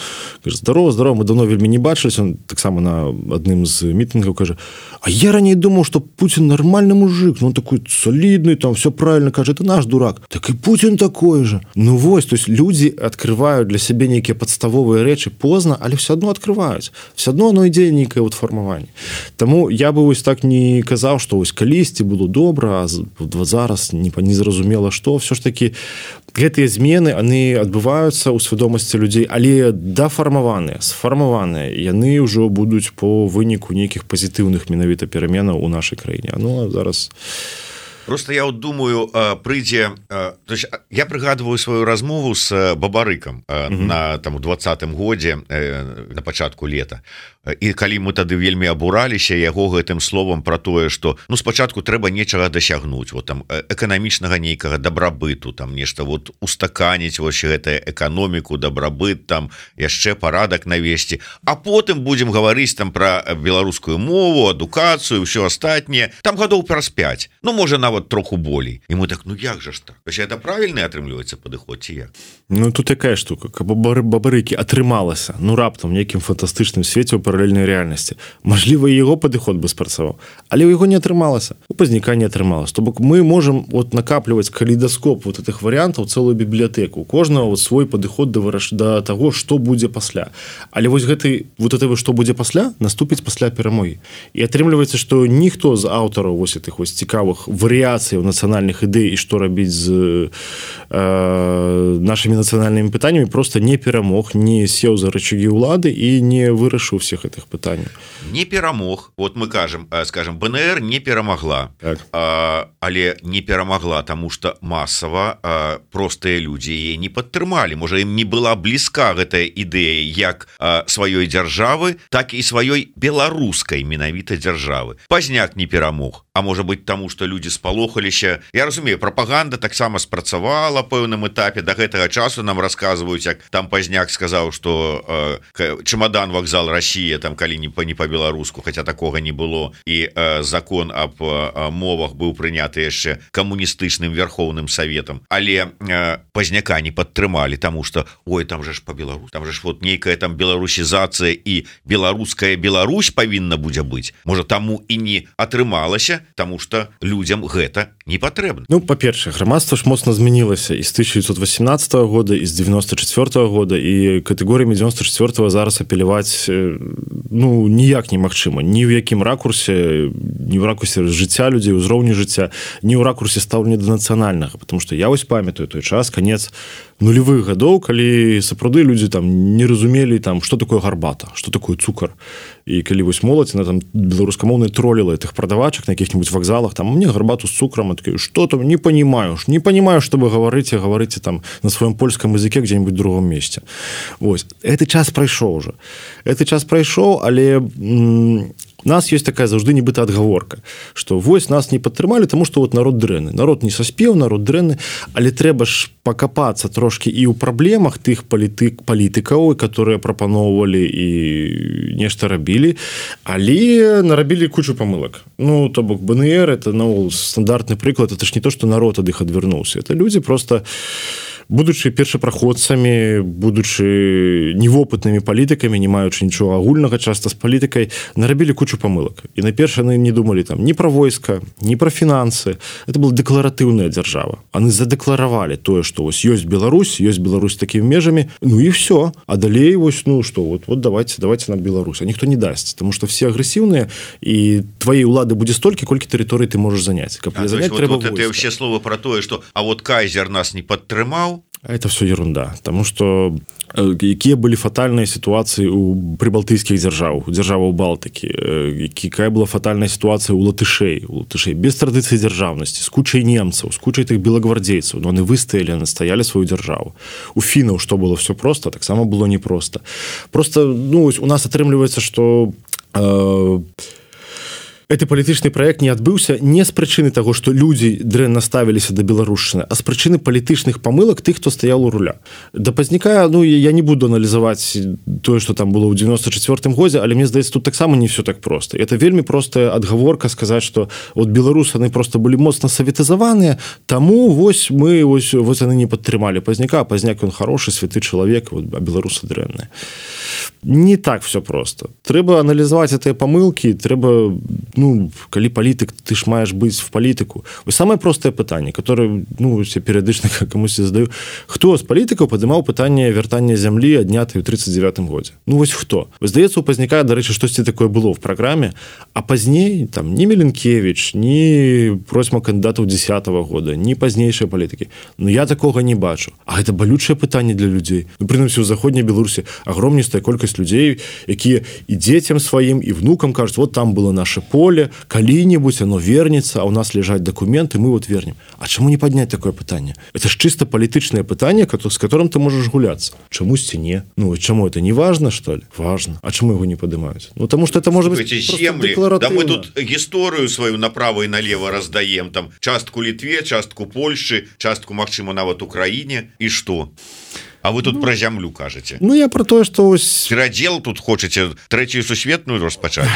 S2: кажа: здорово, здорово, мы давно вельмі не бачылись. Он таксама на адным з мітынгаў кажа: а я раней думаў, што Путин нормальный мужик, ну он такой солидный, там все правильно кажа, это наш дурак. Так и Путин такой же. Ну вось, то есть люди открывают для сябе нейкія падставовыя рэчы позна, але все адно открываюць. Все адно оно ідзе нейкае вот фармаванне. Таму я бы вось так не казаў, што вось калісьці было добра, а зараз не, не зразумела што. Все ж таки гэтыя змены, яны адбываюцца ў свядомасці людзей, але дафармаваныя, сфармаваныя, яны ўжо будуць по выніку нейкіх пазітыўных менавіта пераменаў у нашай краіне. Ну а зараз
S1: просто я вот думаю, прыйдзе, то есть я прыгадываю сваю размову с Бабарыкам mm-hmm. на там у двадцатым годзе на пачатку лета. і калі мы тады вельмі абураліся яго гэтым словам про тое что ну спачатку трэба нечага дасягнуць вот там эканамічнага нейкага дабрабыту там нешта вот устаканіць вось гэтая эканоміку дабрабыт там яшчэ парадак навесці а потым будем гаварыць там про беларускую мову адукацыю все астатняе там гадоў праз пять ну можа нават троху болей і мы так ну як жа ж так это правільны атрымліваецца падыход ці як
S2: ну тут такая штука каб бабарыкі атрымалася ну раптам нейкім фантастычным свеце ў паралельнай рэальнасці мажліва яго падыход бы спрацаваў але ў яго не атрымалася у пазняка не атрымалася то бок мы можем вот накапліваць калейдаскоп вот этих варыянтаў цэлую бібліятэку у кожнага вот свой падыход да выраш да таго што будзе пасля але вось гэты вот это што будзе пасля наступіць пасля перамогі і атрымліваецца што ніхто з аўтараў вось этих вось цікавых варыяцыяў нацыянальных ідэй і што рабіць з э, нашымі нацыянальнымі пытаннямі просто не перамог не сеў за рычагі ўлады і не вырашыў всех гэтых пытанняў
S1: не перамог вот мы кажам скажем БНР не перамагла
S2: так.
S1: а, але не перамагла тому что масава а, простыя людзі яе не падтрымалі можа ім не была блізка гэтая ідэя як а, сваёй дзяржавы так і сваёй беларускай менавіта дзяржавы пазняк не перамог а можа быть тому что люди спалохаліся я разумею прапаганда таксама спрацавала пэўным этапе до гэтага часу нам рассказываюць як там пазняк сказаў что э, чемодан вокзал Россия там калі не по не по-беларуску хотя такога не было і э, закон об э, мовах быў прыняты яшчэ камуністычным верхоўным советам але э, пазняка не падтрымалі тому что ой там же ж по-беларус там же ж вот нейкая там беларусізацыя і беларуская Беларусь павінна будзе быць можа таму і не атрымалася тому что людям гэта не патрэбна
S2: ну па-першае грамадства ж моцна змянілася і з тысяча девятьсот восемнадцатого года і з девяносто четвёртого года і катэгорыямі девяносто четвёртого зараз апеляваць ну ніяк немагчыма ні ў якім ракурсе не ў ракурсе жыцця людзей узроўню жыцця не ў ракурсе стаўлення да нацыянальнага потому что я вось памятаю той час канец нулевых гадоў калі сапраўды людзі там не разумелі там что такое гарбата что такое цукар і калі вось моладзь на там беларускамоўнай троліла этих прадавачак на каких-нибудь вакзалах там мне гарбату з цукрам что там не понимаешь не понимаю что вы говорите говорите там на своем польском языке где-нибудь в другом месте ось этот час прайшоў уже этот час прайшоў але у нас есть такая заўжды нібыта адгаворка что вось нас не падтрымалі тому что вот народ дрэнны народ не саспеў народ дрэнны але трэба ж пакапацца трошки і ў праблемах тых палітык палітыкаў которые прапаноўвалі і нешта рабілі але нарабілі кучу памылак ну то бок БНР это ну стандартны прыклад это ж не то что народ ад іх адвярнуўся это людзі просто будучы першапраходцамі будучы невопытнымі палітыкамі не маючы нічога агульнага часта з палітыкай нарабілі кучу памылак і найперш яны не думалі там ні пра войска ні пра фінансы это была дэкларатыўная дзяржава яны задэкларавалі тое што вось ёсць Беларусь ёсць Беларусь такімі межамі ну і все а далей вось ну что вот вот давайте давайте нам Беларусь а ніхто не дасць тому что все агрэсіўныя і твоей улады будзе столькі колькі тэрыторый ты можаш заняць каб
S1: а,
S2: занять
S1: вот,
S2: трэба
S1: вот это все слова про тое что а вот кайзер нас не падтрымаў
S2: а это все ерунда потому что якія былі фатальныя сітуацыі у прыбалтыйскіх дзяржаў дзяржаваў Балтыкі якая была фатальная сітуацыя у латышэй у латышэй без традыцыі дзяржаўнасці з кучай немцаў з кучай тых белагвардзейцаў но яны выстаялі настаялі сваю дзяржаву у фінаў што было все просто таксама было непросто просто ну у нас атрымліваецца что э, Гэты палітычны праект не адбыўся не з прычыны таго, што людзі дрэнна ставіліся да беларушчыны, а з прычыны палітычных памылак тых, хто стаяў у руля. Да пазняка, ну, я не буду аналізаваць тое, што там было ў девяносто четвёртым годзе, але мне здаецца, тут таксама не все так проста. Это вельмі простая адгаворка сказаць, што от беларусы яны просто былі моцна саветызаваныя, таму вось мы вось, вось яны не падтрымалі пазняка, а пазняк ён хорошы, святы чалавек, вот, а беларусы дрэнныя. Не так все просто. Трэба аналізаваць гэтыя памылкі, трэба ну, калі палітык, ты ж маеш быць в палітыку. Вось самае простае пытанне, которое, ну, я перыядычна камусьці задаю. Хто з палітыкаў падымаў пытанне вяртання зямлі аднятай у тридцать девятым годзе? Ну, вось хто? Вось, здаецца, у пазняка, дарэчы, штосьці такое было в праграме, а пазней, там, ні Меленкевич, ні просьма кандыдатаў десятого года, ні пазнейшыя палітыкі. Ну, я такога не бачу. А гэта балючае пытанне для людзей. Ну, прынамсі, у заходняй Беларусі агромністая количество, колькасць людзей, якія і дзецям сваім, і внукам кажуць, вот там было наше поле, калі-нибудь оно вернется, а у нас лежать документы, мы вот вернем. А чему не поднять такое пытание? Это ж чисто политичное пытание, с которым ты можешь гуляться. Чамусьці не? Ну, чему это не важно, что ли? Важно. А чему его не поднимают? Ну, потому что это может быть просто
S1: земли.
S2: декларативно.
S1: Да мы тут историю свою направо и налево раздаем. Там частку Литве, частку Польши, частку, магчыма, нават Украине. И что? А вы тут ну, про зямлю кажете?
S2: Ну, я про то, что...
S1: Перадел тут хочете третью сусветную распачать?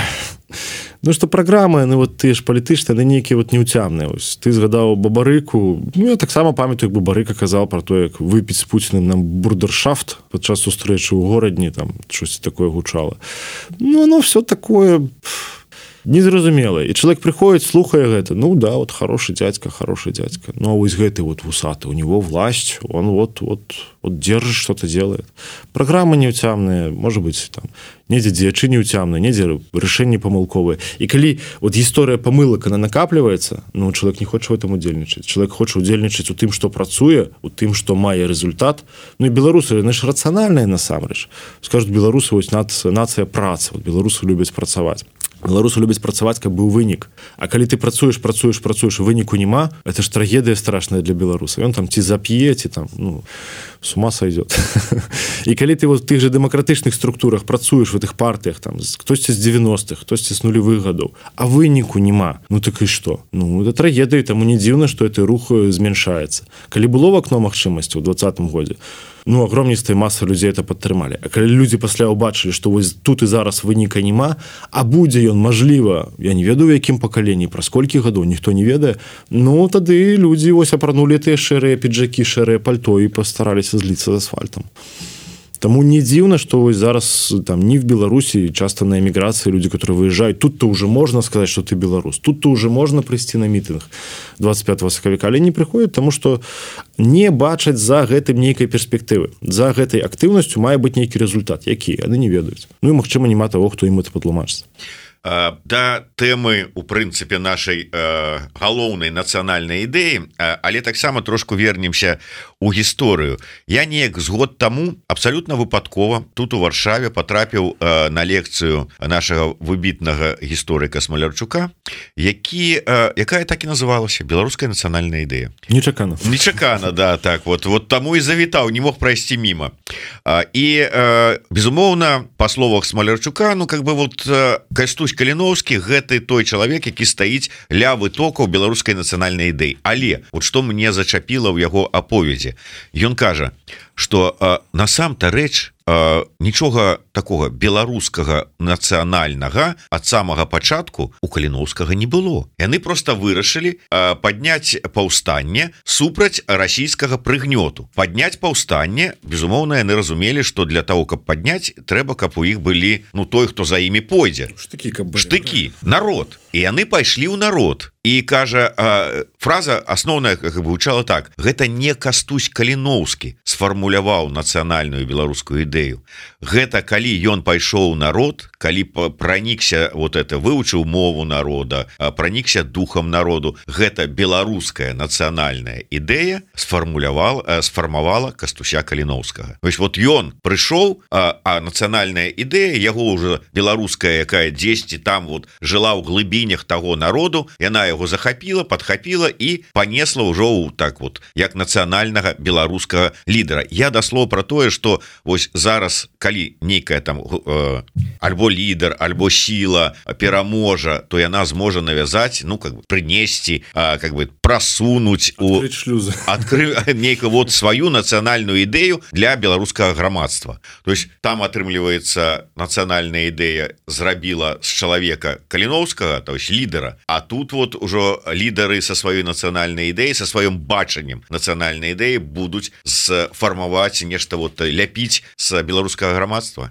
S2: Ну, что программы, ну, вот ты ж палітычныя, яны нейкія вот неўцямныя. Ты згадаў Бабарыку. Ну, я таксама памятаю, як Бабарыка казаў про то, як выпіць з Пуціным нам бурдершафт падчас сустрэчы ў горадні, там щось такое гучала. Ну, оно все такое... незразумелае. І чалавек прыходзіць, слухае гэта. Ну да, вот хороший дядька, хороший дядька. Ну а вось гэты вот вусаты, у него власть, он вот, вот, вот держит, что-то делает. Программы неўцямныя, может быть, там, недзе дзеячы неўцямныя, недзе рашэнні памылковыя. І калі вот гісторыя памылак, она накапліваецца, ну, чалавек не хоча в этом удзельнічаць. Чалавек хоча удзельнічаць у тым, што працуе, у тым, што мае результат. Ну і беларусы, яны ж рацыянальныя насамрэч. Скажуць, беларусы, вось нацыя, нацыя працы, вот беларусы любяць працаваць. Беларусы любяць працаваць, каб быў вынік. А калі ты працуеш, працуеш, працуеш, выніку няма, это ж трагедыя страшная для беларуса. Ён там ці зап'е, ці там, ну, с ума сойдет. І калі ты вот в тых же дэмакратычных структурах працуеш в этих партыях, там, хтосьці з девяностых, хтосьці з нулевых гадоў, а выніку няма, ну так і што? Ну, это трагедыя, таму не дзіўна, што гэты рух змяншаецца. Калі было в акно магчымасці ў двадцатым годзе, ну, огромністая маса людзей это падтрымалі. А калі людзі пасля ўбачылі, што вось тут і зараз выніка няма, а будзе ён, мажліва, я не ведаю, у якім пакаленні, праз колькі гадоў, ніхто не ведае, ну, тады людзі вось апранулі тыя шэрыя піджакі, шэрыя пальто і пастараліся зліцца з асфальтам. Таму не дзіўна, што вось зараз там не в Беларусі, часто на эміграцыі людзі, которые выязджаюць, тут-то уже можна сказаць, што ты беларус, тут-то уже можна прыйсці на мітынг двадцать пятого сакавіка, але не прыходзяць, таму што не бачаць за гэтым нейкай перспектывы. За гэтай актыўнасцю мае быць нейкі результат, які яны не ведаюць. Ну і магчыма, няма таго, хто ім это патлумачыць.
S1: Да тэмы у прынцыпе нашай э, галоўнай нацыянальнай ідэі, але таксама трошку вернемся у гісторыю. Я неяк з год таму абсалютна выпадкова тут у Варшаве патрапіў э, на лекцыю нашага выбітнага гісторыка Смалярчука, які, э, якая так і называлася беларуская нацыянальная ідэя.
S2: Нечакана.
S1: Нечакана, да, так вот, вот таму і завітаў, не мог прайсці міма. І э, безумоўна, па словах Смалярчука, ну как бы вот э, Кастусь Каліноўскі гэты той чалавек, які стаіць ля вытокаў беларускай нацыянальнай ідэі. Але вот што мне зачапіла ў яго аповедзе, ён кажа, што э, насам-то рэч э, нічога такога беларускага нацыянальнага ад самага пачатку у Каліноўскага не было. Яны просто вырашылі э, падняць паўстанне супраць расійскага прыгнёту. Падняць паўстанне, безумоўна, яны разумелі, што для того, каб падняць, трэба, каб у іх былі, ну, той, хто за імі пойдзе.
S2: Штыкі, каб былі.
S1: Штыкі, народ. І яны пайшлі ў народ. І кажа, э, фраза асноўная как бы гучала так: гэта не Кастусь Каліноўскі сфармуляваў нацыянальную беларускую ідэю. Гэта калі ён пайшоў у народ, калі пранікся вот это, вывучыў мову народа, пранікся духам народу, гэта беларуская нацыянальная ідэя сфармулявал, сфармавала Кастуся Каліноўскага. Вось вот ён прыйшоў, а, а нацыянальная ідэя яго ўжо беларуская, якая дзесьці там вот жыла ў глыбінях таго народу, яна яго захапіла, падхапіла і панесла ўжо ў так вот, як нацыянальнага беларускага лідара. Я даслоў пра тое, што вось зараз, калі нейкая там э, альбо лідар, альбо сіла пераможа, то яна зможа навязаць, ну как бы прынесці, э, как бы прасунуць у адкры нейка вот сваю нацыянальную ідэю для беларускага грамадства. То есть там атрымліваецца нацыянальная ідэя зрабіла з чалавека Каліноўскага, то есть лідара, а тут вот ужо лідары са сваёй нацыянальнай ідэі, са сваім бачаннем нацыянальнай ідэі будуць сфармаваць нешта вот ляпіць з беларускага грамадства.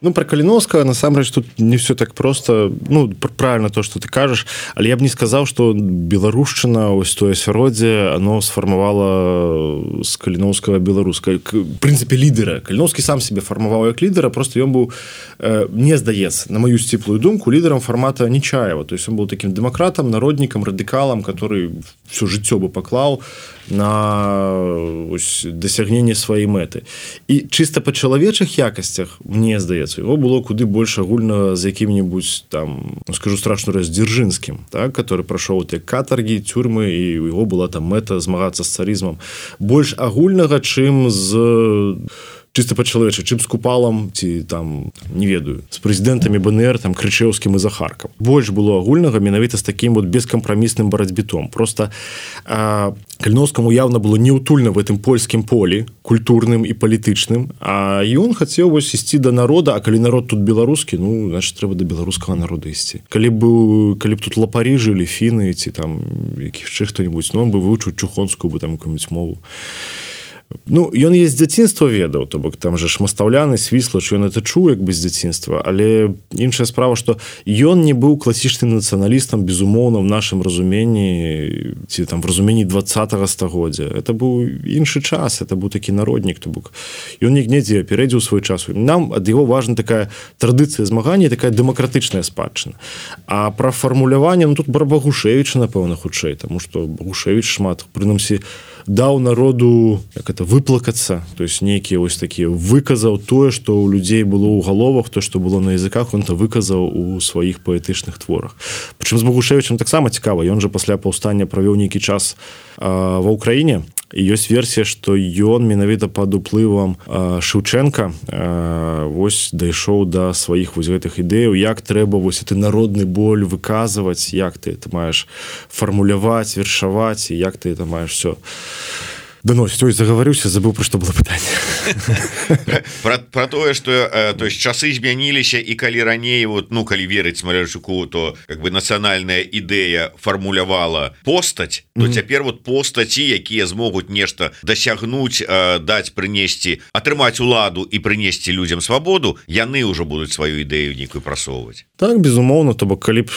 S2: Ну, про Каліновскага, насамрэч, тут не все так просто. Ну, правильно то, что ты кажаш, але я б не сказаў, што беларушчына, ось тое асяроддзе, оно сфармавала з Каліновскага беларуска. В прынцыпе, лідера. Каліновскі сам себе фармаваў як лідера, просто ён быў, э, мне здаецца, на мою сціплую думку, лідерам формата Нечаева. То есть он быў таким дэмакратам, народнікам, радыкалам, который все жыццё бы паклаў на ось, дасягненне сваёй мэты. І чыста па чалавечых якасцях, мне здаецца, его было куды больш агульнага з якім-небудзь там, ну, скажу страшную раз, Дзяржынскім, так, который прайшоў те катаргі, тюрьмы, і у яго была там мэта змагацца з царызмам. Больш агульнага, чым з чыста па-чалавечы, чым з Купалам ці там, не ведаю, з прэзідэнтамі БНР, там, Крычэўскім і Захаркам. Больш было агульнага менавіта з такім вот бескампрамісным барацьбітом. Просто а, Каліновскаму явно было неутульна в гэтым польскім полі, культурным і палітычным, а ён хацеў вось ісці да народа, а калі народ тут беларускі, ну, значит, трэба да беларускага народа ісці. Калі б, калі б тут лапары жылі, фіны ці там які яшчэ хто-небудзь, ну, он бы вывучыў чухонскую бы там якую-нибудь мову. Ну, ён есть з дзяцінства ведаў, то бок там же ж Мастаўляны, Свіслач, ён это чуў як бы з дзяцінства, але іншая справа, што ён не быў класічным нацыяналістам, безумоўна, в нашым разуменні, ці там в разуменні двадцатага стагоддзя. Это быў іншы час, это быў такі народнік, то бок ён недзе апярэдзіў свой час. Нам ад яго важна такая традыцыя змагання, такая дэмакратычная спадчына. А пра фармуляванне, ну, тут пра Багушевіча, напэўна, хутчэй, таму што Багушевіч шмат, прынамсі, даў народу, як это, выплакацца, то есть нейкія вось такія, выказаў тое, што ў людзей было ў галовах, то, што было на языках, он то выказаў у сваіх паэтычных творах. Прычым з Багушевічам таксама цікава, ён жа пасля паўстання правёў нейкі час а, ва ўкраіне, і ёсць версія, што ён менавіта пад уплывам а, Шэўчэнка а, вось дайшоў да сваіх вось гэтых ідэяў, як трэба вось гэты народны боль выказваць, як ты это маеш фармуляваць, вершаваць, і як ты это маеш все доносіць. Ой, загаварыўся, забыў, пра што было пытанне.
S1: Пра, пра тое, што э, то есть часы змяніліся, і калі раней, вот, ну, калі верыць Смалярчуку, то как бы нацыянальная ідэя фармулявала постаць, то mm-hmm. цяпер вот постаці, якія змогуць нешта дасягнуць, э, даць, прынесці, атрымаць уладу і прынесці людзям свабоду, яны ўжо будуць сваю ідэю нейкую прасоўваць.
S2: Так, безумоўна, то бок калі б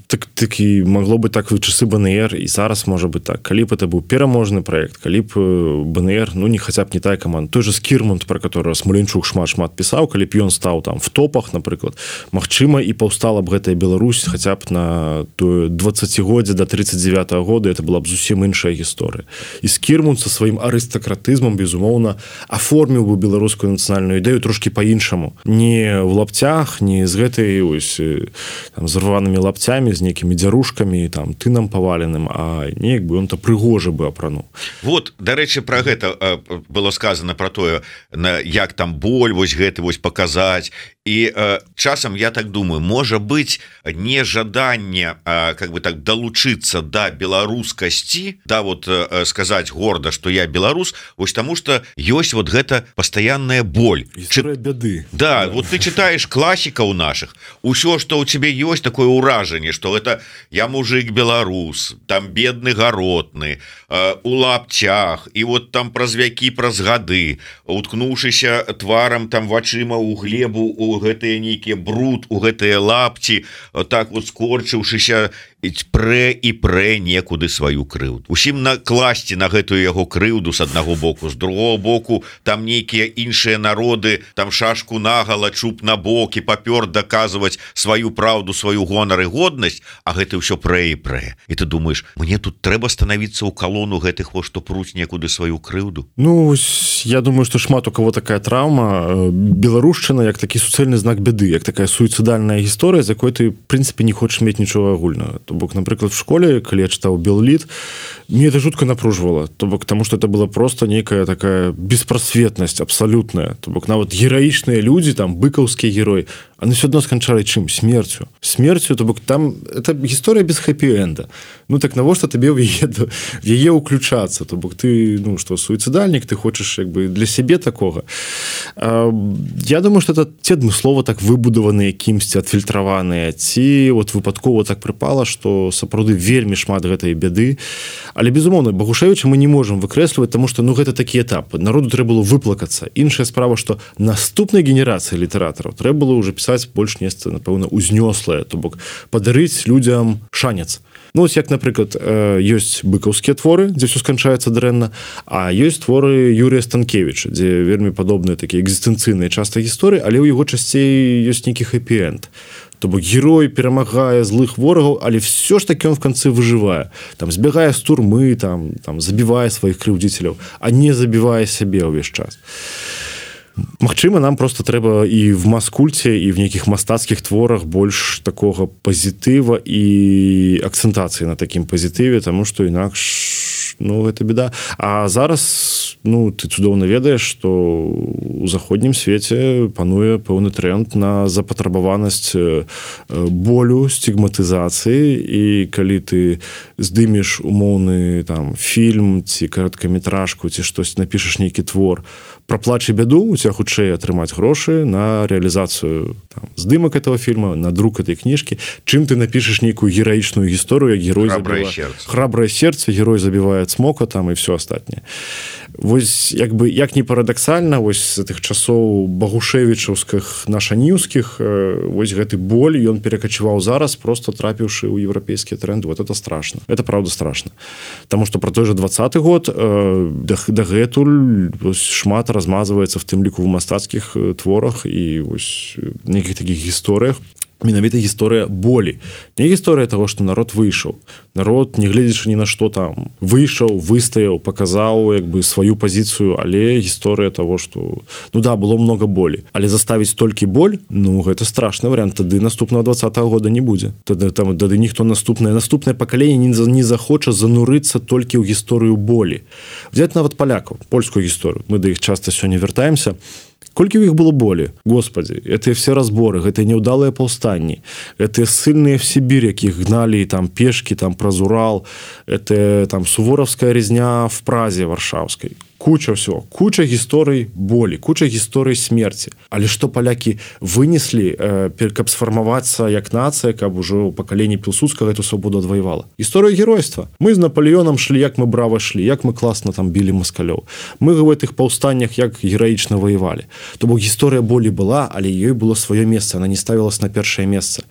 S2: так, такі магло бы так в часы БНР, і зараз можа быць так, калі б это быў пераможны проект, калі б БНР, ну, не хаця б не тая каманда, той же Скірмонт, про которого Смаленчук шмат-шмат пісаў, калі б ён стаў там в топах, напрыклад, магчыма, і паўстала б гэтая Беларусь хаця б на тое дваццацігоддзе до тридцать девятого года, это была б зусім іншая гісторыя. І Скірмонт со сваім арыстакратызмам, безумоўна, аформіў бы беларускую нацыянальную ідэю трошки по-іншаму. Не в лапцях, не з гэтай ось там, з рванымі лапцямі, з нейкімі дзярушкамі, там, тынам паваленым, а неяк бы ён-то прыгожа бы апрануў.
S1: Вот, дарэчы, пра гэта было сказано про тое, як там боль вось гэты вось паказаць, і э, часам я так думаю, можа быць нежаданне э, как бы так далучыцца да беларускасці, да вот э, сказаць горда, што я беларус, вось таму што ёсць вот гэта пастаянная боль,
S2: гісторыя бяды.
S1: Да, да, вот ты читаешь класікаў наших, усё, што ў цябе ёсць такое ўражанне, што это я мужик беларус, там бедны гаротны, э, у лапцях, і вот там праз вякі, праз гады, уткнуўшыся тварам там вачыма ў глебу, у гэтыя нейкія бруд, у гэтыя лапці, так вот скорчыўшыся, прэ і прэ некуды сваю крыўду. Усім накласці на гэтую яго крыўду з аднаго боку, з другого боку там нейкія іншыя народы, там шашку нагала, чуб на бок, і папёр даказваць сваю праўду, сваю гонар і годнасць, а гэта ўсё прэ і прэ. І ты думаеш, мне тут трэба станавіцца ў калону гэтых, во, што пруць некуды сваю крыўду?
S2: Ну, я думаю, што шмат у кого такая траўма. Беларушчына як такі суцэльны знак бяды, як такая суіцыдальная гісторыя, з якой ты, в прынцыпе, не хочаш мець нічога агульнага. То бок, напрыклад, в школе, калі я чытаў Белліт, мне это жутко напружвала, то бок, таму што это была просто нейкая такая беспрасветнасць абсалютная. То бок, нават гераічныя людзі, там, быкаўскі герой, они все одно сканчалі чым? Смерцю. Смерцю, то бок, там, это гісторыя без хэппі-энда. Ну, так навошта табе в яе, в яе уключацца? То бок, ты, ну, што, суіцыдальнік, ты хочаш, як бы, для сябе такога. А, я думаю, што это ці адмыслова так выбудаваныя кімсьці, адфільтраваныя, ці вот выпадкова так прыпала, што што сапраўды вельмі шмат гэтай бяды, але безумоўна Багушевіча мы не можам выкрэсліваць, тому што ну гэта такі этап, народу трэба было выплакацца. Іншая справа, што наступнай генерацыі літаратараў трэба было ўжо пісаць больш нешта, напэўна, узнёслае, то бок падарыць людзям шанец. Ну, ось як, напрыклад, ёсць быкаўскія творы, дзе ўсё сканчаецца дрэнна, а ёсць творы Юрія Станкевіча, дзе вельмі падобныя такія экзістэнцыйныя часта гісторыі, але ў яго часцей ёсць нейкі хэпі-энд. То бок герой перамагае злых ворагаў, але все ж таки он в канцы выжывае. Там збягае з турмы, там, там забівае сваіх крыўдзіцеляў, а не забівае сябе ўвесь час. Магчыма, нам просто трэба і в маскульце, і в нейкіх мастацкіх творах больш такога пазітыва і акцэнтацыі на такім пазітыве, таму што інакш, ну, гэта беда. А зараз, ну, ты цудоўна ведаеш, што у заходнім свеце пануе пэўны тренд на запатрабаванасць болю, стигматызацыі, і калі ты здымеш умоўны там фільм ці кароткаметражку, ці штось напішаш нейкі твор про плач і бяду, у тебя хутчэй атрымаць грошы на реалізацыю там, здымак этого фильма, на друк этой кніжкі, чым ты напішаш нейкую гераічную гісторыю, як герой
S1: храбрае
S2: забіва...
S1: сердце.
S2: Храбрае сердце, герой забівае цмока там і все астатняе. Вось як бы як не парадаксальна, вось з тых часоў багушевічаўскіх нашаніўскіх, вось гэты боль ён перакачываў зараз, просто трапіўшы ў еўрапейскія тренды. Вот это страшно. Это правда страшно. Таму што про той же двадцаты год дагэтуль шмат размазваецца в тым ліку в мастацкіх творах і вось нейкіх такіх гісторыях. Менавіта гісторыя болі. Не гісторыя того, што народ выйшаў. Народ, не гледзячы ні на што там, выйшаў, выстаяў, паказаў як бы сваю пазіцыю, але гісторыя того, што ну да, было много болі. Але заставіць толькі боль, ну гэта страшны варыянт. Тады наступного двадцатого года не будзе. Тады там тады ніхто наступнае, наступнае пакаленне не, не захоча занурыцца толькі ў гісторыю болі. Взять нават палякаў, польскую гісторыю. Мы да іх часта сёння вяртаемся. Колькі ў іх было болі? Господи, гэтыя все разборы, гэтыя няўдалыя паўстанні, гэтыя ссыльныя в Сібір, якіх гналі там пешкі, там праз Урал, это там суворовская резня в Празе варшаўскай. Куча всего, куча гісторый болі, куча гісторый смерці. Але што палякі вынеслі, э, каб сфармавацца як нацыя, каб ужо пакаленне Пілсудскага эту свабоду адваявала? Гісторыя геройства. Мы з Наполеоном шлі, як мы брава шлі, як мы класна там білі маскалёў. Мы ў гэтых паўстаннях як гераічна воевалі. То бок гісторыя болі была, але ёй было сваё месца, она не ставілася на першае месца.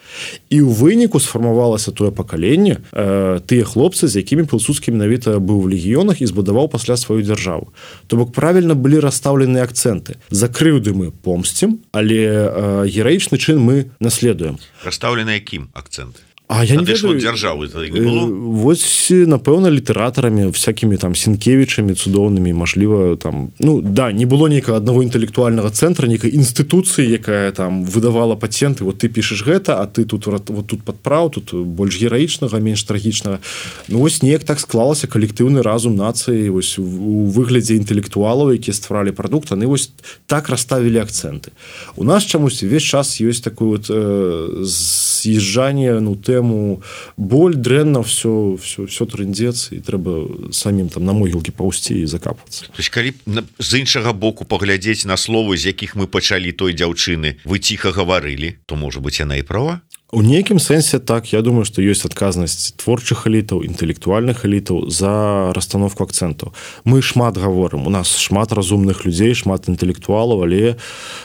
S2: І ў выніку сфармавалася тое пакаленне, э, тыя хлопцы, з якімі Пілсудскі менавіта быў в легіёнах і збудаваў пасля сваю дзяржаву. То бок правільна былі расстаўлены акцэнты. За крыўды мы помсцім, але э, гераічны чын мы наследуем.
S1: Расстаўлены якім акцэнты?
S2: А я не ведаю,
S1: дзяржавы не было?
S2: Вось, напэўна, літаратарамі, всякімі там Сінкевічамі цудоўнымі, мажліва, там, ну, да, не было нейкага аднаго інтэлектуальнага цэнтра, нейкай інстытуцыі, якая там выдавала патенты, вот ты пішаш гэта, а ты тут вот тут падправ, тут больш гераічнага, менш трагічнага. Ну, вось неяк так склалася калектыўны разум нацыі, вось у выглядзе інтэлектуалаў, якія стваралі прадукт, яны вось так расставілі акцэнты. У нас чамусь увесь час ёсць такое вот э, з'язджанне, ну, тэму боль, дрэнна, все, все, все трындзец, і трэба самім там на могілкі паўсці і закапвацца.
S1: То есть, калі з іншага боку паглядзець на словы, з якіх мы пачалі той дзяўчыны, вы ціха гаварылі, то, можа быць, яна і права?
S2: У нейкім сэнсе так, я думаю, што ёсць адказнасць творчых элітаў, інтэлектуальных элітаў за расстановку акцэнтаў. Мы шмат гаворым, у нас шмат разумных людзей, шмат інтэлектуалаў, але,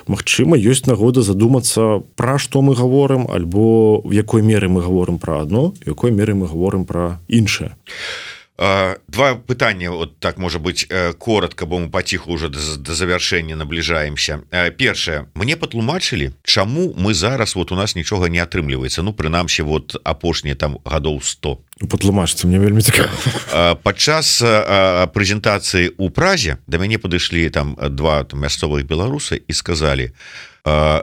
S2: магчыма, ёсць нагода задумацца, пра што мы гаворым, альбо в якой меры мы гаворым пра адно, в якой меры мы гаворым пра іншае.
S1: Два пытання, вот так можа быть коротко, бо мы паціху уже до, до завяршэння набліжаемся. Першае, мне патлумачылі, чаму мы зараз вот у нас нічога не атрымліваецца, ну прынамсі вот апошнія там гадоў сто.
S2: Патлумачце, мне вельмі цікава.
S1: Падчас прэзентацыі ў Празе да мяне падышлі там два там, мясцовых беларусы і сказалі: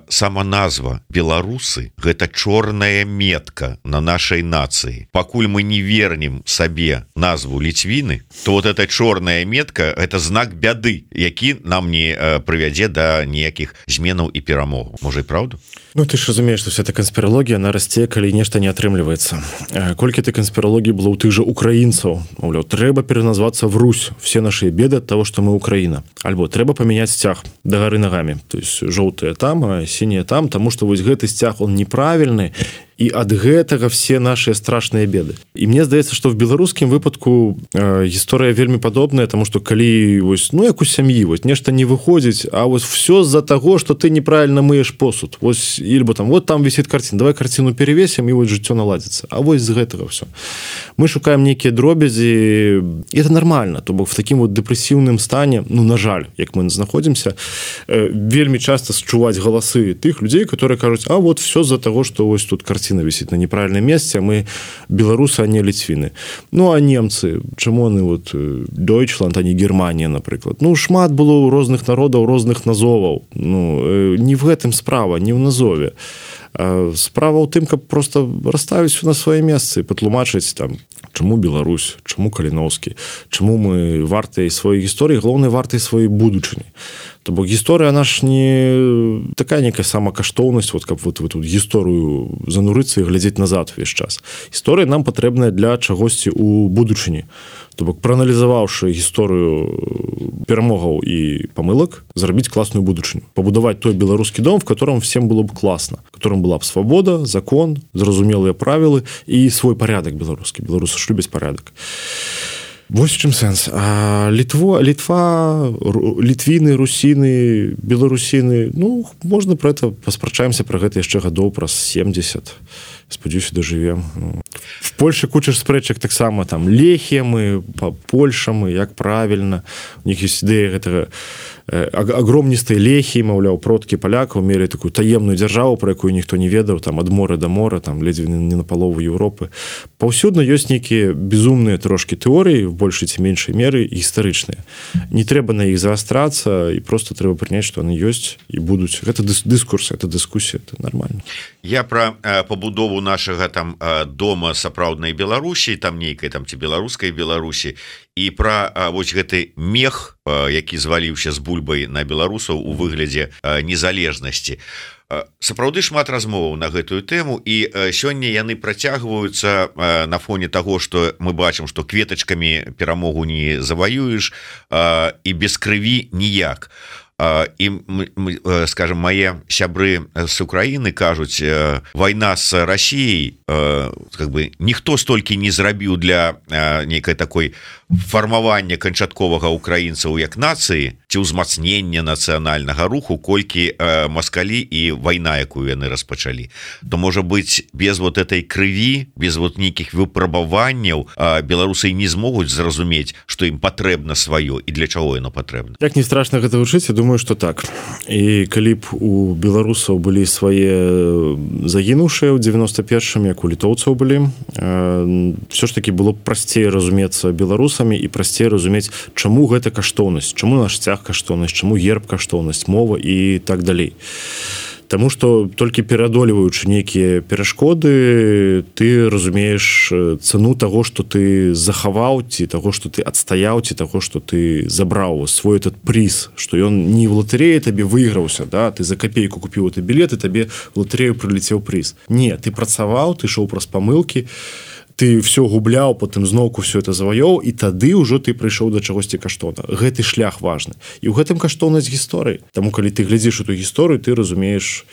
S1: сама назва беларусы гэта чорная метка на нашай нацыі. Пакуль мы не вернем сабе назву ліцвіны, то вот эта чорная метка это знак бяды, які нам не прывядзе да ніякіх зменаў і перамогаў. Можа і праўда?
S2: Ну ты ж разумееш, што вся эта канспіралогія она расце, калі нешта не атрымліваецца. Колькі ты канспіралогіі было ў тых жа украінцаў, маўляў, трэба пераназвацца в Русь, все наши беды ад таго, што мы Украіна. Альбо трэба памяняць сцяг дагары нагамі, то есть жоўтыя там, а сінія там, таму што вось гэты сцяг он неправільны і ад гэтага все наши страшныя беды. І мне здаецца, што в беларускім выпадку э, гісторыя вельмі падобная, тому што калі вось, ну як у сям'і вось нешта не выходзіць, а вось все з-за таго, што ты неправільна мыеш посуд. Вось ільбо там вот там вісіць карціна, давай карціну перевесім і вось жыццё наладзіцца. А вось з гэтага все. Мы шукаем нейкія дробязі, і это нормально, то бок в такім вот дэпрэсіўным стане, ну на жаль, як мы знаходзімся, э, вельмі часто счуваць галасы тых людзей, которые кажуць, а вот все з-за таго, што вось тут карціна вісіць на неправільным месцы, а мы беларусы, а не ліцвіны. Ну а немцы, чаму они вот Deutschland, а не Германія, напрыклад. Ну шмат было ў розных народаў, розных назоваў. Ну не в гэтым справа, не ў назове. Справа ў тым, каб просто расставіць на свае месцы, патлумачыць там, чаму Беларусь, чаму Каліноўскі, чаму мы вартыя сваёй гісторыі, галоўнай вартай сваёй будучыні. То бок гісторыя наш не такая некая самакаштоўнасць, вот каб вот, вот, вот гісторыю занурыцца і глядзець назад увесь час. Гісторыя нам патрэбная для чагосьці ў будучыні. То бок прааналізаваўшы гісторыю перамогаў і памылак, зрабіць класную будучыню, пабудаваць той беларускі дом, в котором всем было б класна, в котором была б свабода, закон, зразумелыя правілы і свой парядак беларускі. Беларусы ж любяць парядак. Вось чым сэнс. А Літво, Літва, літвіны, русіны, беларусіны, ну, можна пра гэта паспрачаемся пра гэта яшчэ гадоў праз семьдесят. Спадзяюся, дажывем. В Польше куча спрэчак таксама там лехемы, польшамы, як правільна. У них ёсць ідэя гэтага агромністай лехі, маўляў, продкі палякаў мелі такую таемную дзяржаву, про якую ніхто не ведаў, там ад мора да мора, там ледзьве не на палову Еўропы. Паўсюдна ёсць нейкія безумныя трошкі тэорыі, в большай ці меншай меры гістарычныя. Не трэба на іх заастрацца, і просто трэба прыняць, што яны ёсць і будуць. Гэта дыскурс, это дыскусія, это нормально.
S1: Я пра э, пабудову нашага там э, дома сапраўднай Беларусі, там нейкай там ці беларускай Беларусі, і пра э, вось гэты мех, э, які зваліўся з бульбай на беларусаў у выглядзе э, незалежнасці. Э, сапраўды шмат размоваў на гэтую тэму, і э, сёння яны працягваюцца э, на фоне таго, што мы бачым, што кветачкамі перамогу не заваюеш, э, і без крыві ніяк. І, скажем, мае сябры з Украіны кажуць, вайна з Расіяй, как бы ніхто столькі не зрабіў для нейкай такой фармавання канчатковага украінцаў як нацыі ці ўзмацнення нацыянальнага руху, колькі маскалі і вайна, якую яны распачалі. То можа быць, без вот этой крыві, без вот нейкіх выпрабаванняў беларусы не змогуць зразумець, што ім патрэбна сваё і для чаго яно патрэбна.
S2: Як не страшна гэта вучыць, я думаю, што так. І калі б у беларусаў былі свае загінуўшыя ў девяносто першым, як у літоўцаў былі, все ж таки было б прасцей разумецца беларусамі і прасцей разумець, чаму гэта каштоўнасць, чаму наш сцяг каштоўнасць, чаму герб каштоўнасць, мова і так далей. Таму што толькі пераадолеваючы нейкія перашкоды, ты разумееш цану таго, што ты захаваў, ці таго, што ты адстаяў, ці таго, што ты забраў свой этот приз, што ён не в латарэі табе выйграўся, да? Ты за капейку купіў гэты білет, і табе в латарэю прылецеў приз. Не, ты працаваў, ты ішоў праз памылкі, ты все губляў, потым зноўку все это заваёў, і тады ўжо ты прыйшоў да чагосьці каштоўна. Гэты шлях важны. І ў гэтым каштоўнасць гісторыі. Таму калі ты глядзіш у ту гісторыю, ты разумееш,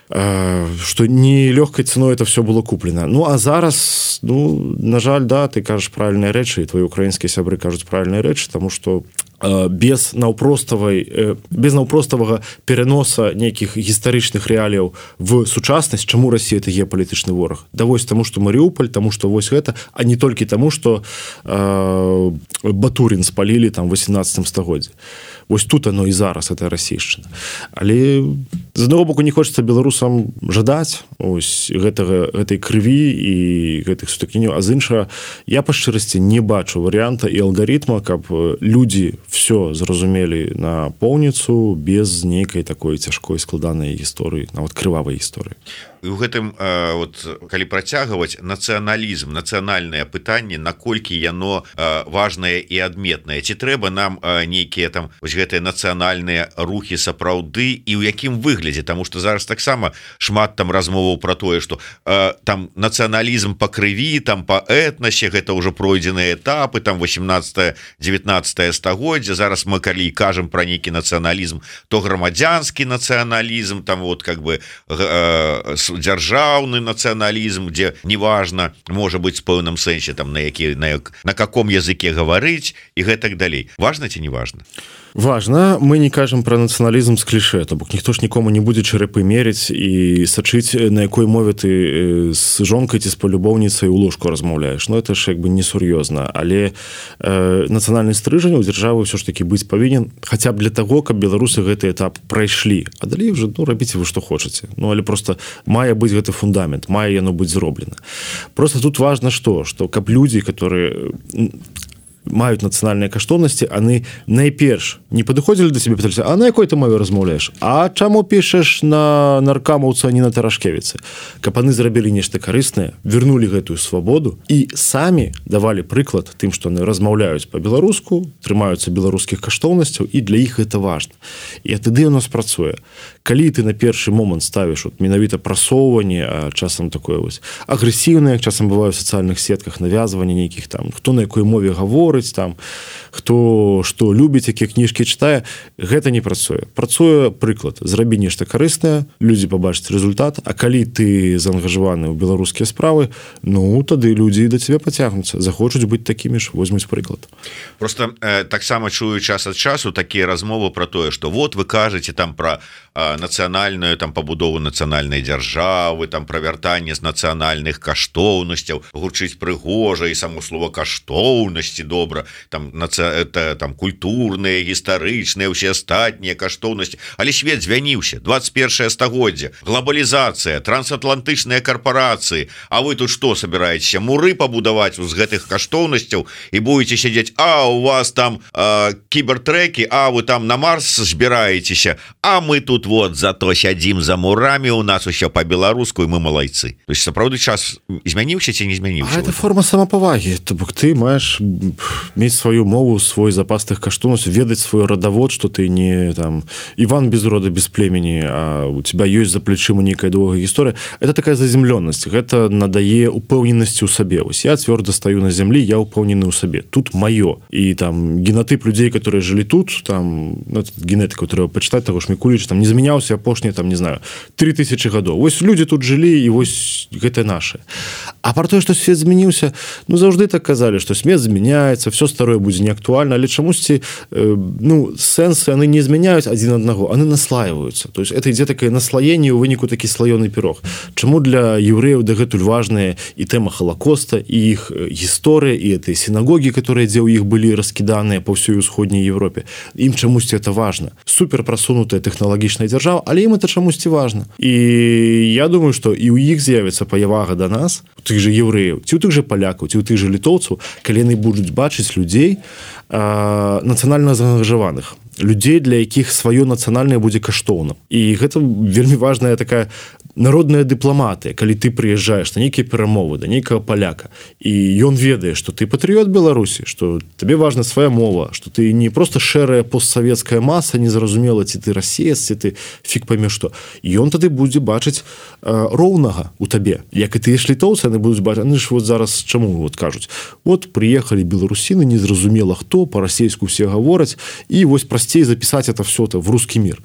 S2: што не лёгкай цаной это все было куплена. Ну а зараз, ну на жаль, да, ты кажаш правільныя рэчы, і твои украінскія сябры кажуць правільныя рэчы, таму што без наўпроставай без наўпроставага пераноса нейкіх гістарычных рэаліяў в сучаснасць, чаму Расія это геапалітычны вораг? Да вось таму, што Марыуполь, таму што вось гэта, а не толькі таму, што э, Батурін спалілі там восемнадцатым стагоддзі. Вось тут оно і зараз, это расійшчына. Але з аднаго боку не хочацца беларусам жадаць ось гэтага, гэтай крыві і гэтых сутыкненняў, а з іншага я па шчырасці не бачу варыянта і алгарытма, каб людзі все зразумелі на поўніцу без нейкай такой цяжкой складанай гісторыі, нават крывавай гісторыі.
S1: І ў гэтым э, вот, калі працягваць нацыяналізм, нацыянальнае пытанне, наколькі яно э, важнае і адметнае, ці трэба нам э, нейкія там вось гэтыя нацыянальныя рухі сапраўды і ў якім выглядзе, таму што зараз таксама шмат там размоваў пра тое, што э, там нацыяналізм па крыві, там па этнасе, гэта ўжо пройдзеныя этапы, там восемнадцатае девятнадцатае стагоддзя, зараз мы калі кажам пра нейкі нацыяналізм, то грамадзянскі нацыяналізм, там вот как бы э, дзяржаўны нацыяналізм, дзе неважна можа быць з пэўным сэнсе там на які на, як, на каком языке гаварыць і гэтак далей. Важна ці не важна?
S2: Важна, мы не кажам пра нацыяналізм з кліше, то бок ніхто ж нікому не будзе чарапы меріць і сачыць, на якой мове ты з жонкай ці з палюбоўніцай у ложку размаўляеш. Ну это ж як бы несур'ёзна, але э, нацыянальны стрыжань у дзяржавы ўсё ж такі быць павінен хаця б для таго, каб беларусы гэты этап прайшлі, а далей уже ну рабіце вы што хочаце. Ну але просто мае быць гэты фундамент, мае яно быць зроблена. Просто тут важна што, што каб людзі, которые маюць нацыянальныя каштоўнасці, яны найперш не падыходзілі да сябе, пыталіся, а на якой ты мове размаўляеш? А чаму пішаш на наркамаўца, а не на тарашкевіцы? Каб яны зрабілі нешта карыснае, вернулі гэтую свабоду і самі давалі прыклад тым, што яны размаўляюць па-беларуску, трымаюцца беларускіх каштоўнасцяў, і для іх гэта важна. І тады у нас працуе. Калі ты на першы момант ставіш от, менавіта прасоўванне, а часам такое вось агрэсіўнае, часам бывае ў сацыяльных сетках навязванне нейкіх там, хто на якой мове гаворыць, там хто што любіць, якія кніжкі чытае, гэта не працуе. Працуе прыклад, зрабі нешта карыснае, людзі пабачаць результат, а калі ты заангажаваны ў беларускія справы, ну тады людзі да цябе пацягнуцца, захочуць быць такімі ж, возьмуць прыклад.
S1: Просто э, таксама чую час ад часу такія размовы пра тое, што вот вы кажаце там пра э, нацыянальную там пабудову нацыянальнай дзяржавы, там пра вяртанне з нацыянальных каштоўнасцяў, гучыць прыгожа і само слова каштоўнасці до добра, там, это, там культурныя, гістарычныя, усе астатнія каштоўнасці, але свет звяніўся, двадцать первое стагоддзе, глобалізацыя, трансатлантычныя карпорацыі, а вы тут што собираетеся, муры пабудаваць з гэтых каштоўнасцяў і будете сядзець, а у вас там э, кібертрэкі, а вы там на Марс збіраецеся, а мы тут вот зато сядзім за мурамі, у нас усё па-беларуску, і мы малайцы. То есть сапраўды час змяніўся ці не змяніўся?
S2: А это форма самапавагі, то бок ты маеш мець сваю мову, свой запас тых каштоўнасцяў, ведаць свой радавод, што ты не там Іван без рода, без племені, а у тебя ёсць за плечыма нейкая доўгая гісторыя. Это такая заземлёнасць, гэта надае упэўненасці ў сабе. Вось я цвёрда стаю на зямлі, я упэўнены ў сабе. Тут маё. І там генатып людзей, которые жылі тут, там ну, генетыку трэба пачытаць, таго ж Мікуліч там не змяняўся апошнія там не знаю три тысячи гадоў. Вось людзі тут жылі і вось гэта наше. А пра тое, што свет змяніўся, ну заўжды так казалі, што свет змяняецца, все старое будзе неактуальна, але чамусьці э, ну сэнсы яны не змяняюць адзін аднаго, яны наслаиваюцца. То есть это ідзе такое наслаенне ў выніку такі слаёны пірог. Чаму для еўрэяў дагэтуль важная і тэма Халакоста, і іх гісторыя, і этой сінагогі, которые дзе ў іх былі раскіданыя па ўсёй усходняй Европе. Ім чамусьці это важна. Супер прасунутая тэхналагічная дзяржава, але ім это чамусьці важна. І я думаю, што і ў іх з'явіцца паявага да нас, у тых же еўрэяў, ці ў тых же палякаў, ці ў тых же літоўцаў, калі яны будуць бачыць людзей нацыянальна заангажаваных, людзей, для якіх сваё нацыянальнае будзе каштоўным. І гэта вельмі важная такая народная дыпламатыя, калі ты прыязджаеш на нейкія перамовы да нейкага паляка, і ён ведае, што ты патрыёт Беларусі, што табе важна свая мова, што ты не проста шэрая постсавецкая маса, незразумела, ці ты расеец, ці ты фіг пойме што. І ён тады будзе бачыць э, роўнага у табе. Як і ты літоўцы, яны будуць бачыць, яны ж вот зараз чаму вот кажуць, вот прыехалі беларусіны, незразумела хто, па-расейску все гавораць, і вось прасцей запісаць это все в русский мир.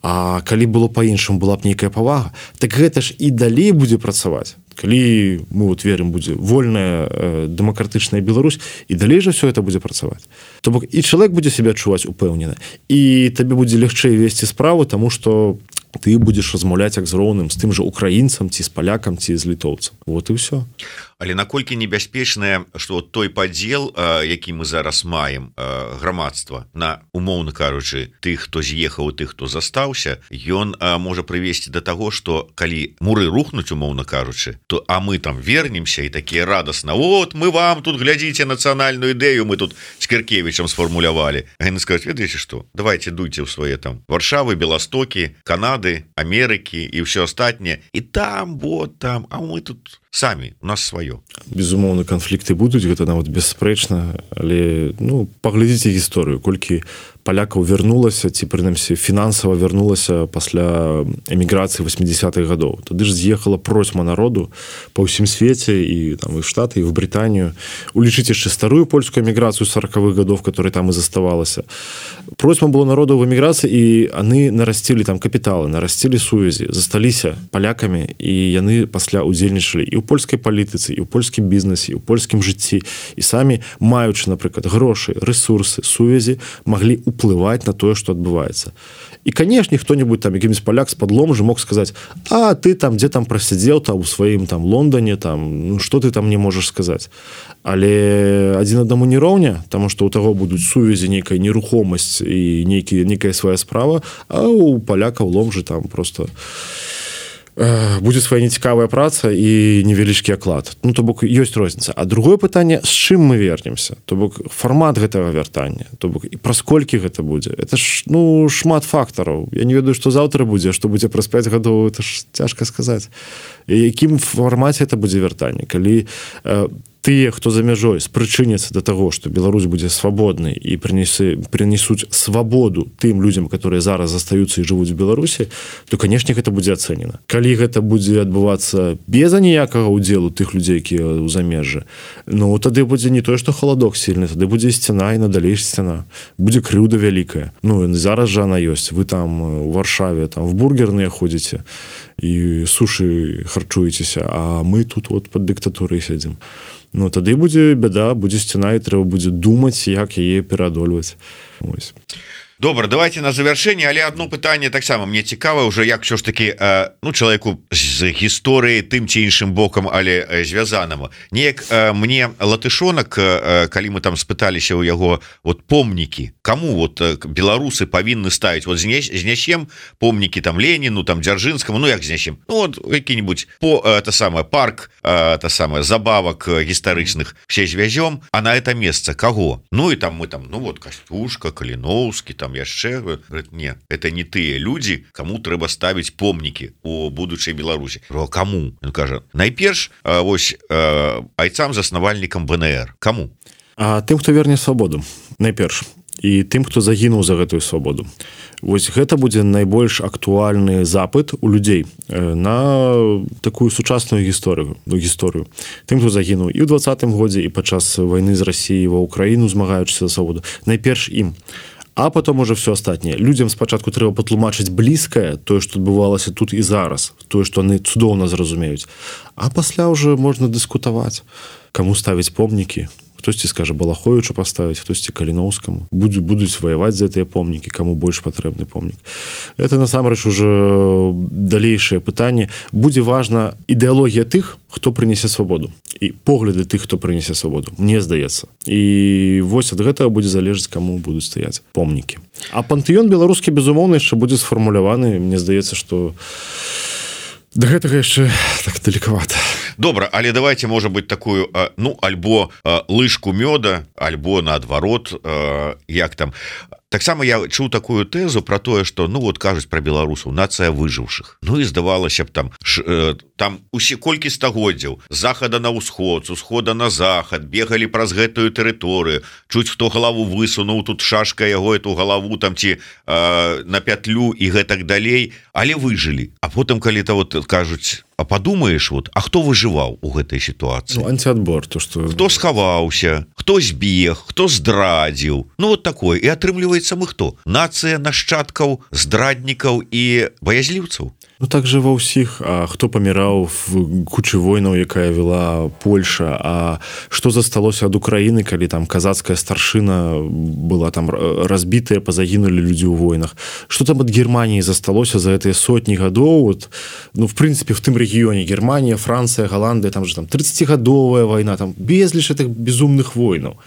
S2: А калі было па-іншаму, была б нейкая павага, так гэта ж і далей будзе працаваць. Калі мы вот верым, будзе вольная э, дэмакратычная Беларусь, і далей жа все это будзе працаваць. То бок і чалавек будзе себя адчуваць упэўнена, і табе будзе лягчэй весці справу, таму што ты будзеш размаўляць як з роўным, з тым жа украінцам, ці з палякам, ці з літоўцам. Вот і ўсё.
S1: Але наколькі небяспечнае, што той падзел, які мы зараз маем, грамадства на, умоўна кажучы, тых, хто з'ехаў, тых, хто застаўся, ён можа прывесці да таго, што калі муры рухнуць, умоўна кажучы, то а мы там вернемся і такія радасна, вот мы вам тут глядзіце нацыянальную ідэю, мы тут з Кіркевічам сфармулявалі. А яны скажуць, ведаеце што, давайте дуйце ў свае там Варшавы, Беластокі, Канады, Амерыкі і ўсё астатняе, і там, вот там, а мы тут самі, у нас сваё.
S2: Безумоўна, канфлікты будуць, гэта нават бясспрэчна, але ну, паглядзіце гісторыю, колькі палякаў вярнулася ці прынамсі фінансава вярнулася пасля эміграцыі восьмидесятых гадоў. Тады ж з'ехала процьма народу па ўсім свеце і там і в Штаты, і в Брытанію. Улічыць яшчэ старую польскую эміграцыю сороковых гадоў, которая там і заставалася. Процьма было народу в эміграцыі, і яны нарасцілі там капіталы, нарасцілі сувязі, засталіся палякамі, і яны пасля удзельнічалі і ў польскай палітыцы, і ў польскім бізнесе, і ў польскім жыцці, і самі, маючы, напрыклад, грошы, рэсурсы, сувязі, маглі ўплываць на тое, што адбываецца. І, канешне, хто-нибудь там, якім-нибудь паляк з падлом же мог сказаць: а ты там, дзе там прасядзеў там у сваім там Лондоне, там, ну, што ты там не можаш сказаць. Але адзін аднаму не роўня, таму што ў таго будуць сувязі, нейкая нерухомасць і нейкі, нейкая свая справа, а ў палякаў лом же там просто будзе свая нецікавая праца і невялічкі аклад. Ну, то бок, ёсць розніца. А другое пытанне, з чым мы вернемся? То бок, фармат гэтага вяртання, то бок, і праз колькі гэта будзе? Это ж, ну, шмат фактараў. Я не ведаю, што заўтра будзе, што будзе праз пяць гадоў, это ж цяжка сказаць. І якім фармаце это будзе вяртанне? Калі э, тыя, хто за мяжой, спрычыняцца да таго, што Беларусь будзе свабоднай і прынесуць свабоду тым людзям, которые зараз застаюцца і жывуць у Беларусі, то, канешне, гэта будзе ацэнена. Калі гэта будзе адбывацца без аніякага ўдзелу тых людзей, якія ў замежжы, ну, тады будзе не тое, што халадок сильны, тады будзе сцяна і надалей сцяна. Будзе крыўда вялікая. Ну, зараз жа она ёсць. Вы там у Варшаве, там в бургерныя ходзіце і сушы харчуецеся, а мы тут вот пад дыктатурай сядзім. Ну, тады будзе бяда, будзе сцяна, і трэба будзе думаць, як яе пераадольваць. Ось.
S1: Добра, давайте на завяршэнне, але одно пытанне таксама мне цікава уже, як все ж таки э, ну, чалавеку з гісторыі тым ці іншым бокам, але э, звязанаму. Неяк э, мне латышонак, э, калі мы там спыталіся ў яго вот помнікі, кому вот э, беларусы павінны ставіць, вот знясем помнікі там Леніну, там Дзяржынскаму, ну як знясем, ну вот які-нибудь по э, та самое парк, э, та самое забавак э, гістарычных все звязём, а на это месца каго? Ну і там мы там, ну вот Кастюшка, Каліноўскі, там яшчэ, не, это не тыя людзі, каму трэба ставіць помнікі у будучай Беларусі. Каму? Он кажа, найперш вось айцам заснавальнікам бэ эн эр. Каму?
S2: А тым, хто верне свабоду, найперш, і тым, хто загінуў за гэтую свабоду. Вось гэта будзе найбольш актуальны запыт у людзей на такую сучасную гісторыю, гісторыю. Тым, хто загінуў і ў двадцатым годзе, і падчас вайны з Расіяй ва Ўкраіну, змагаючыся за свабоду. Найперш ім. А потом уже все астатняе. Людзям спачатку трэба патлумачыць блізкае, тое, што адбывалася тут і зараз, тое, што яны цудоўна зразумеюць. А пасля уже можна дыскутаваць, каму ставіць помнікі. Хтосьці скажа Балаховічу паставіць, хтосьці Каліноўскаму. Будуць, будуць ваяваць за гэтыя помнікі, каму больш патрэбны помнік. Это насамрэч уже далейшае пытанне. Будзе важна ідэалогія тых, хто прынесе свабоду. І погляды тых, хто прынесе свабоду. Мне здаецца. І вось ад гэтага будзе залежаць, каму будуць стаяць помнікі. А пантэён беларускі, безумоўна, яшчэ будзе сфармуляваны. Мне здаецца, што да гэтага яшчэ так далекавата.
S1: Добра, але давайте, можа быть, такую, ну, альбо лыжку мёда, альбо наадварот, як там. Таксама я чуў такую тэзу про тое, што, ну, вот кажуць пра беларусаў, нацыя выжыўшых. Ну і здавалася б там, ш, э, там усе колькі стагоддзяў, з захада на ўсход, з усхода на захад, бегалі праз гэтую тэрыторыю, чуць хто галаву высунуў, тут шашка яго эту галаву там ці э, на пятлю і гэтак далей, але выжылі. А потым, калі-то вот кажуць, а подумаешь, вот, а хто выжываў у гэтай сітуацыі?
S2: Ну, антиадбор, то што...
S1: Хто схаваўся, хто збег, хто здрадзіў. Ну, вот такое. І атрымліваецца мы хто? Нацыя нашчадкаў, здраднікаў і баязліўцаў.
S2: Ну, так же ва ўсіх. А хто паміраў в кучы войнаў, якая вела Польша? А што засталося ад Украіны, калі там казацкая старшына была там разбітая, пазагінулі людзі ў войнах? Што там ад Германіі засталося за гэтыя сотні гадоў? Вот, ну, в прынцыпе, в тым рэгіёне Германія, Францыя, Галандыя, там же там тридцатигадовая вайна, там безліч гэтых безумных войнаў.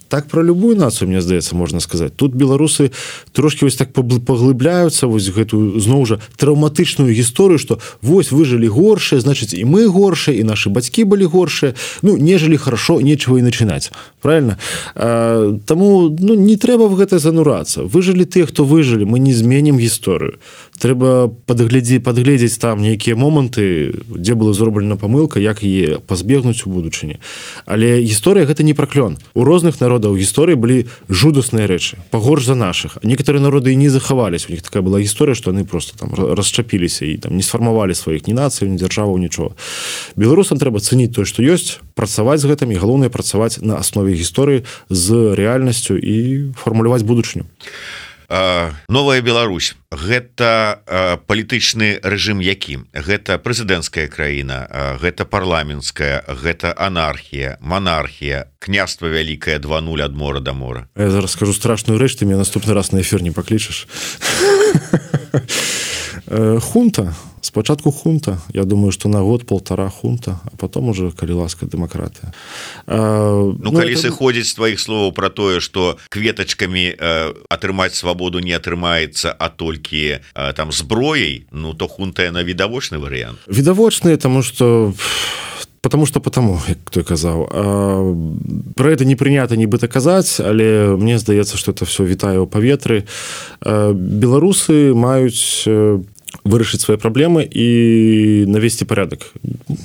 S2: Так про любую нацыю, мне здаецца, можна сказаць. Тут беларусы трошки вось так паглыбляюцца вось гэтую, зноў жа, траўматычную гісторыю, што вось выжылі горшыя, значыць, і мы горшыя, і нашы бацькі былі горшыя. Ну, не жылі хорошо, нечего і начинаць. Правильно? А, таму, ну, не трэба в гэта занурацца. Выжылі тыя, хто выжылі, мы не зменім гісторыю. Трэба падглядзець, падгледзець там нейкія моманты, дзе была зроблена памылка, як яе пазбегнуць у будучыні. Але гісторыя гэта не праклён. У розных народаў у гісторыі былі жудасныя рэчы. Пагорш больш за наших. Некаторыя народы і не захавались, у них такая была гісторыя, што яны просто там расчапіліся і там не сфармавалі сваіх ні нацый, ні дзяржаваў, нічого. Беларусам трэба цэніць тое, што ёсць, працаваць з гэтым і галоўнае працаваць на аснове гісторыі з рэальнасцю і фармуляваць будучыню.
S1: Новая Беларусь — гэта палітычны рэжым якім? Гэта прэзідэнцкая краіна, гэта парламенцкая, гэта анархія, монархія, княства вялікае два нуль ад мора да мора.
S2: Я зараз скажу страшную рэч, ты меня наступны раз на эфир не паклічаш. Хунта. Спачатку хунта. Я думаю, что на год-полтора хунта, а потом уже, калі ласка, дэмакратыя.
S1: Ну, ну, калі это... сыходзіць з твоих словаў про тое, что кветачкамі э, атрымаць свабоду не атрымаецца, а толькі э, там зброяй, ну, то хунта яна відавочны варыянт.
S2: Відавочны, тому что... Потому что потому, як той казаў. Про это не прынята нібыта казаць, але мне здаецца, что это все вітае ў паветры. Беларусы маюць вырашыць свае праблемы і навесці парядак.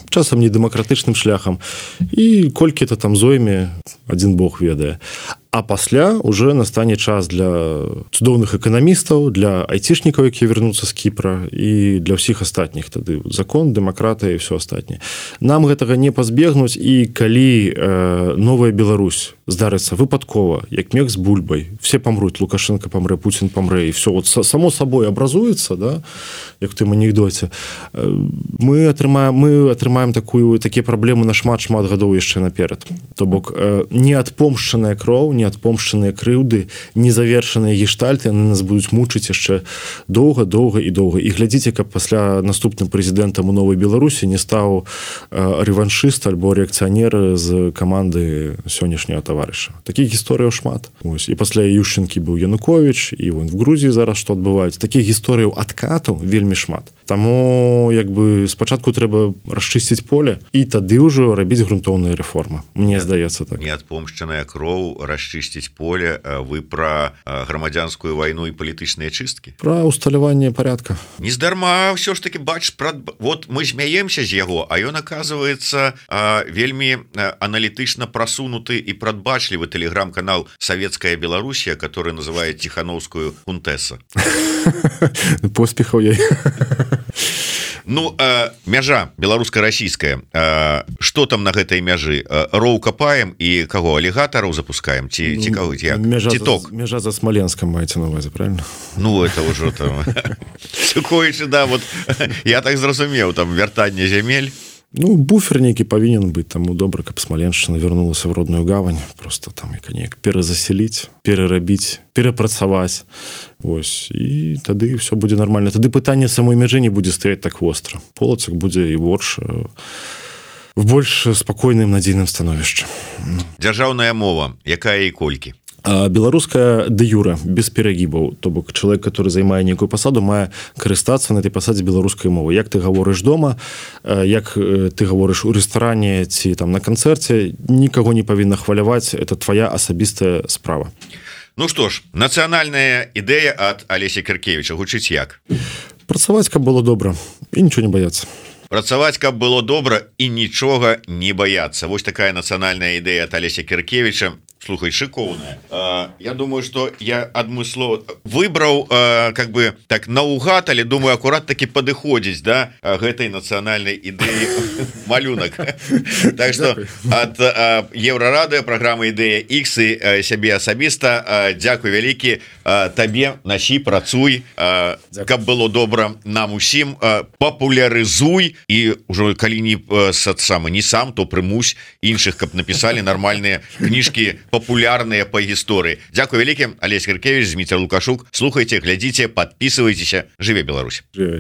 S2: Часам не дэмакратычным шляхам. І колькі это там зойме, адзін Бог ведае. А пасля уже настане час для цудоўных эканамістаў, для айцішнікаў, якія вернуцца з Кіпра, і для ўсіх астатніх. Тады закон, дэмакратыя і ўсё астатняе. Нам гэтага не пазбегнуць, і калі э, новая Беларусь здарыцца выпадкова, як мех з бульбай, все памруць, Лукашенко памрэ, Путин памрэ, і все вот само собой абразуецца, да, як в тым анекдоце, мы атрымаем, мы атрымаем такую, такія праблемы на шмат-шмат гадоў яшчэ наперад. То бок э, неадпомшчаная кроў, неадпомшчаныя крыўды, незавершаныя гештальты, яны нас будуць мучыць яшчэ доўга, доўга і доўга. І глядзіце, каб пасля наступным прэзідэнтам у новай Беларусі не стаў э, рэваншыст альбо рэакцыянер з каманды сённяшняга таварыша. Такіх гісторыяў шмат. Ось. І пасля Ющенкі быў Януковіч, і вон в Грузіі зараз што адбываецца. Такіх гісторыяў адкату вельмі шмат. Таму як бы спачатку трэба расчысціць поле і тады ўжо рабіць грунтоўныя рэформы. Мне здаецца так.
S1: Неадпомшчаная кроў, расчысціць поле. Вы пра грамадзянскую вайну і палітычныя чысткі?
S2: Пра усталяванне парядка.
S1: Нездарма ўсё ж таки бач, пра... вот мы змяемся з яго, а ён аказваецца вельмі аналітычна прасунуты і прадбачлівы тэлеграм-канал «Советская Белоруссия», который называет Тихановскую «Хунтэса».
S2: Поспехаў я.
S1: Ну, э, мяжа беларуска-расійская, э, што там на гэтай мяжы? Э, роў капаем і каго, алігатараў запускаем? Ці, ці каго, як?
S2: Мяжа,
S1: ці
S2: за, мяжа за Смоленском маеце на увазе, правильно?
S1: Ну, это ўжо там... Сукоючы, да, вот, я так зразумеў, там, вяртанне зямель.
S2: Ну, буфер нейкі павінен быць, таму добра, каб Смаленшчына вярнулася в родную гавань, просто там як неяк перазаселіць, перарабіць, перапрацаваць. Ось, і тады все будзе нармальна. Тады пытанне самой мяжы не будзе стаяць так востра. Полацак будзе і горш в больш спакойным надзейным становішчы.
S1: Дзяржаўная мова, якая і колькі?
S2: Беларуская дэ юра, без перагібаў, то бок чалавек, который займае нейкую пасаду, мае карыстацца на этой пасадзе беларускай мовы. Як ты гаворыш дома, як ты гаворыш у рэстаране ці там на канцэрце, нікаго не павінна хваляваць, это твоя асабістая справа.
S1: Ну што ж, нацыянальная ідэя ад Алеся Кіркевіча гучыць як?
S2: Працаваць, каб было добра, і нічого не баяцца.
S1: Працаваць, каб было добра і нічога не баяцца. Вось такая нацыянальная ідэя ад Алеся Кіркевіча. Слухай, шикоўная. Я думаю, что я адмыслова выбраў как бы так наугад, але думаю, акурат таки падыходзіць да гэтай нацыянальнай ідэі малюнак. Так что ад Еўрарадыё, праграмы Ідэя Х і сябе асабіста дзякуй вялікі табе, насі, працуй, каб было добра нам усім, папулярызуй і ўжо калі не сам, не сам, то прымусь іншых, каб напісалі нармальныя кніжкі популярныя по гісторыі. Дзякуй вялікі. Алесь Кіркевіч, Зміцер Лукашук. Слухайце, глядзіце, подписывайтеся. Жыве Беларусь.
S2: Жыве.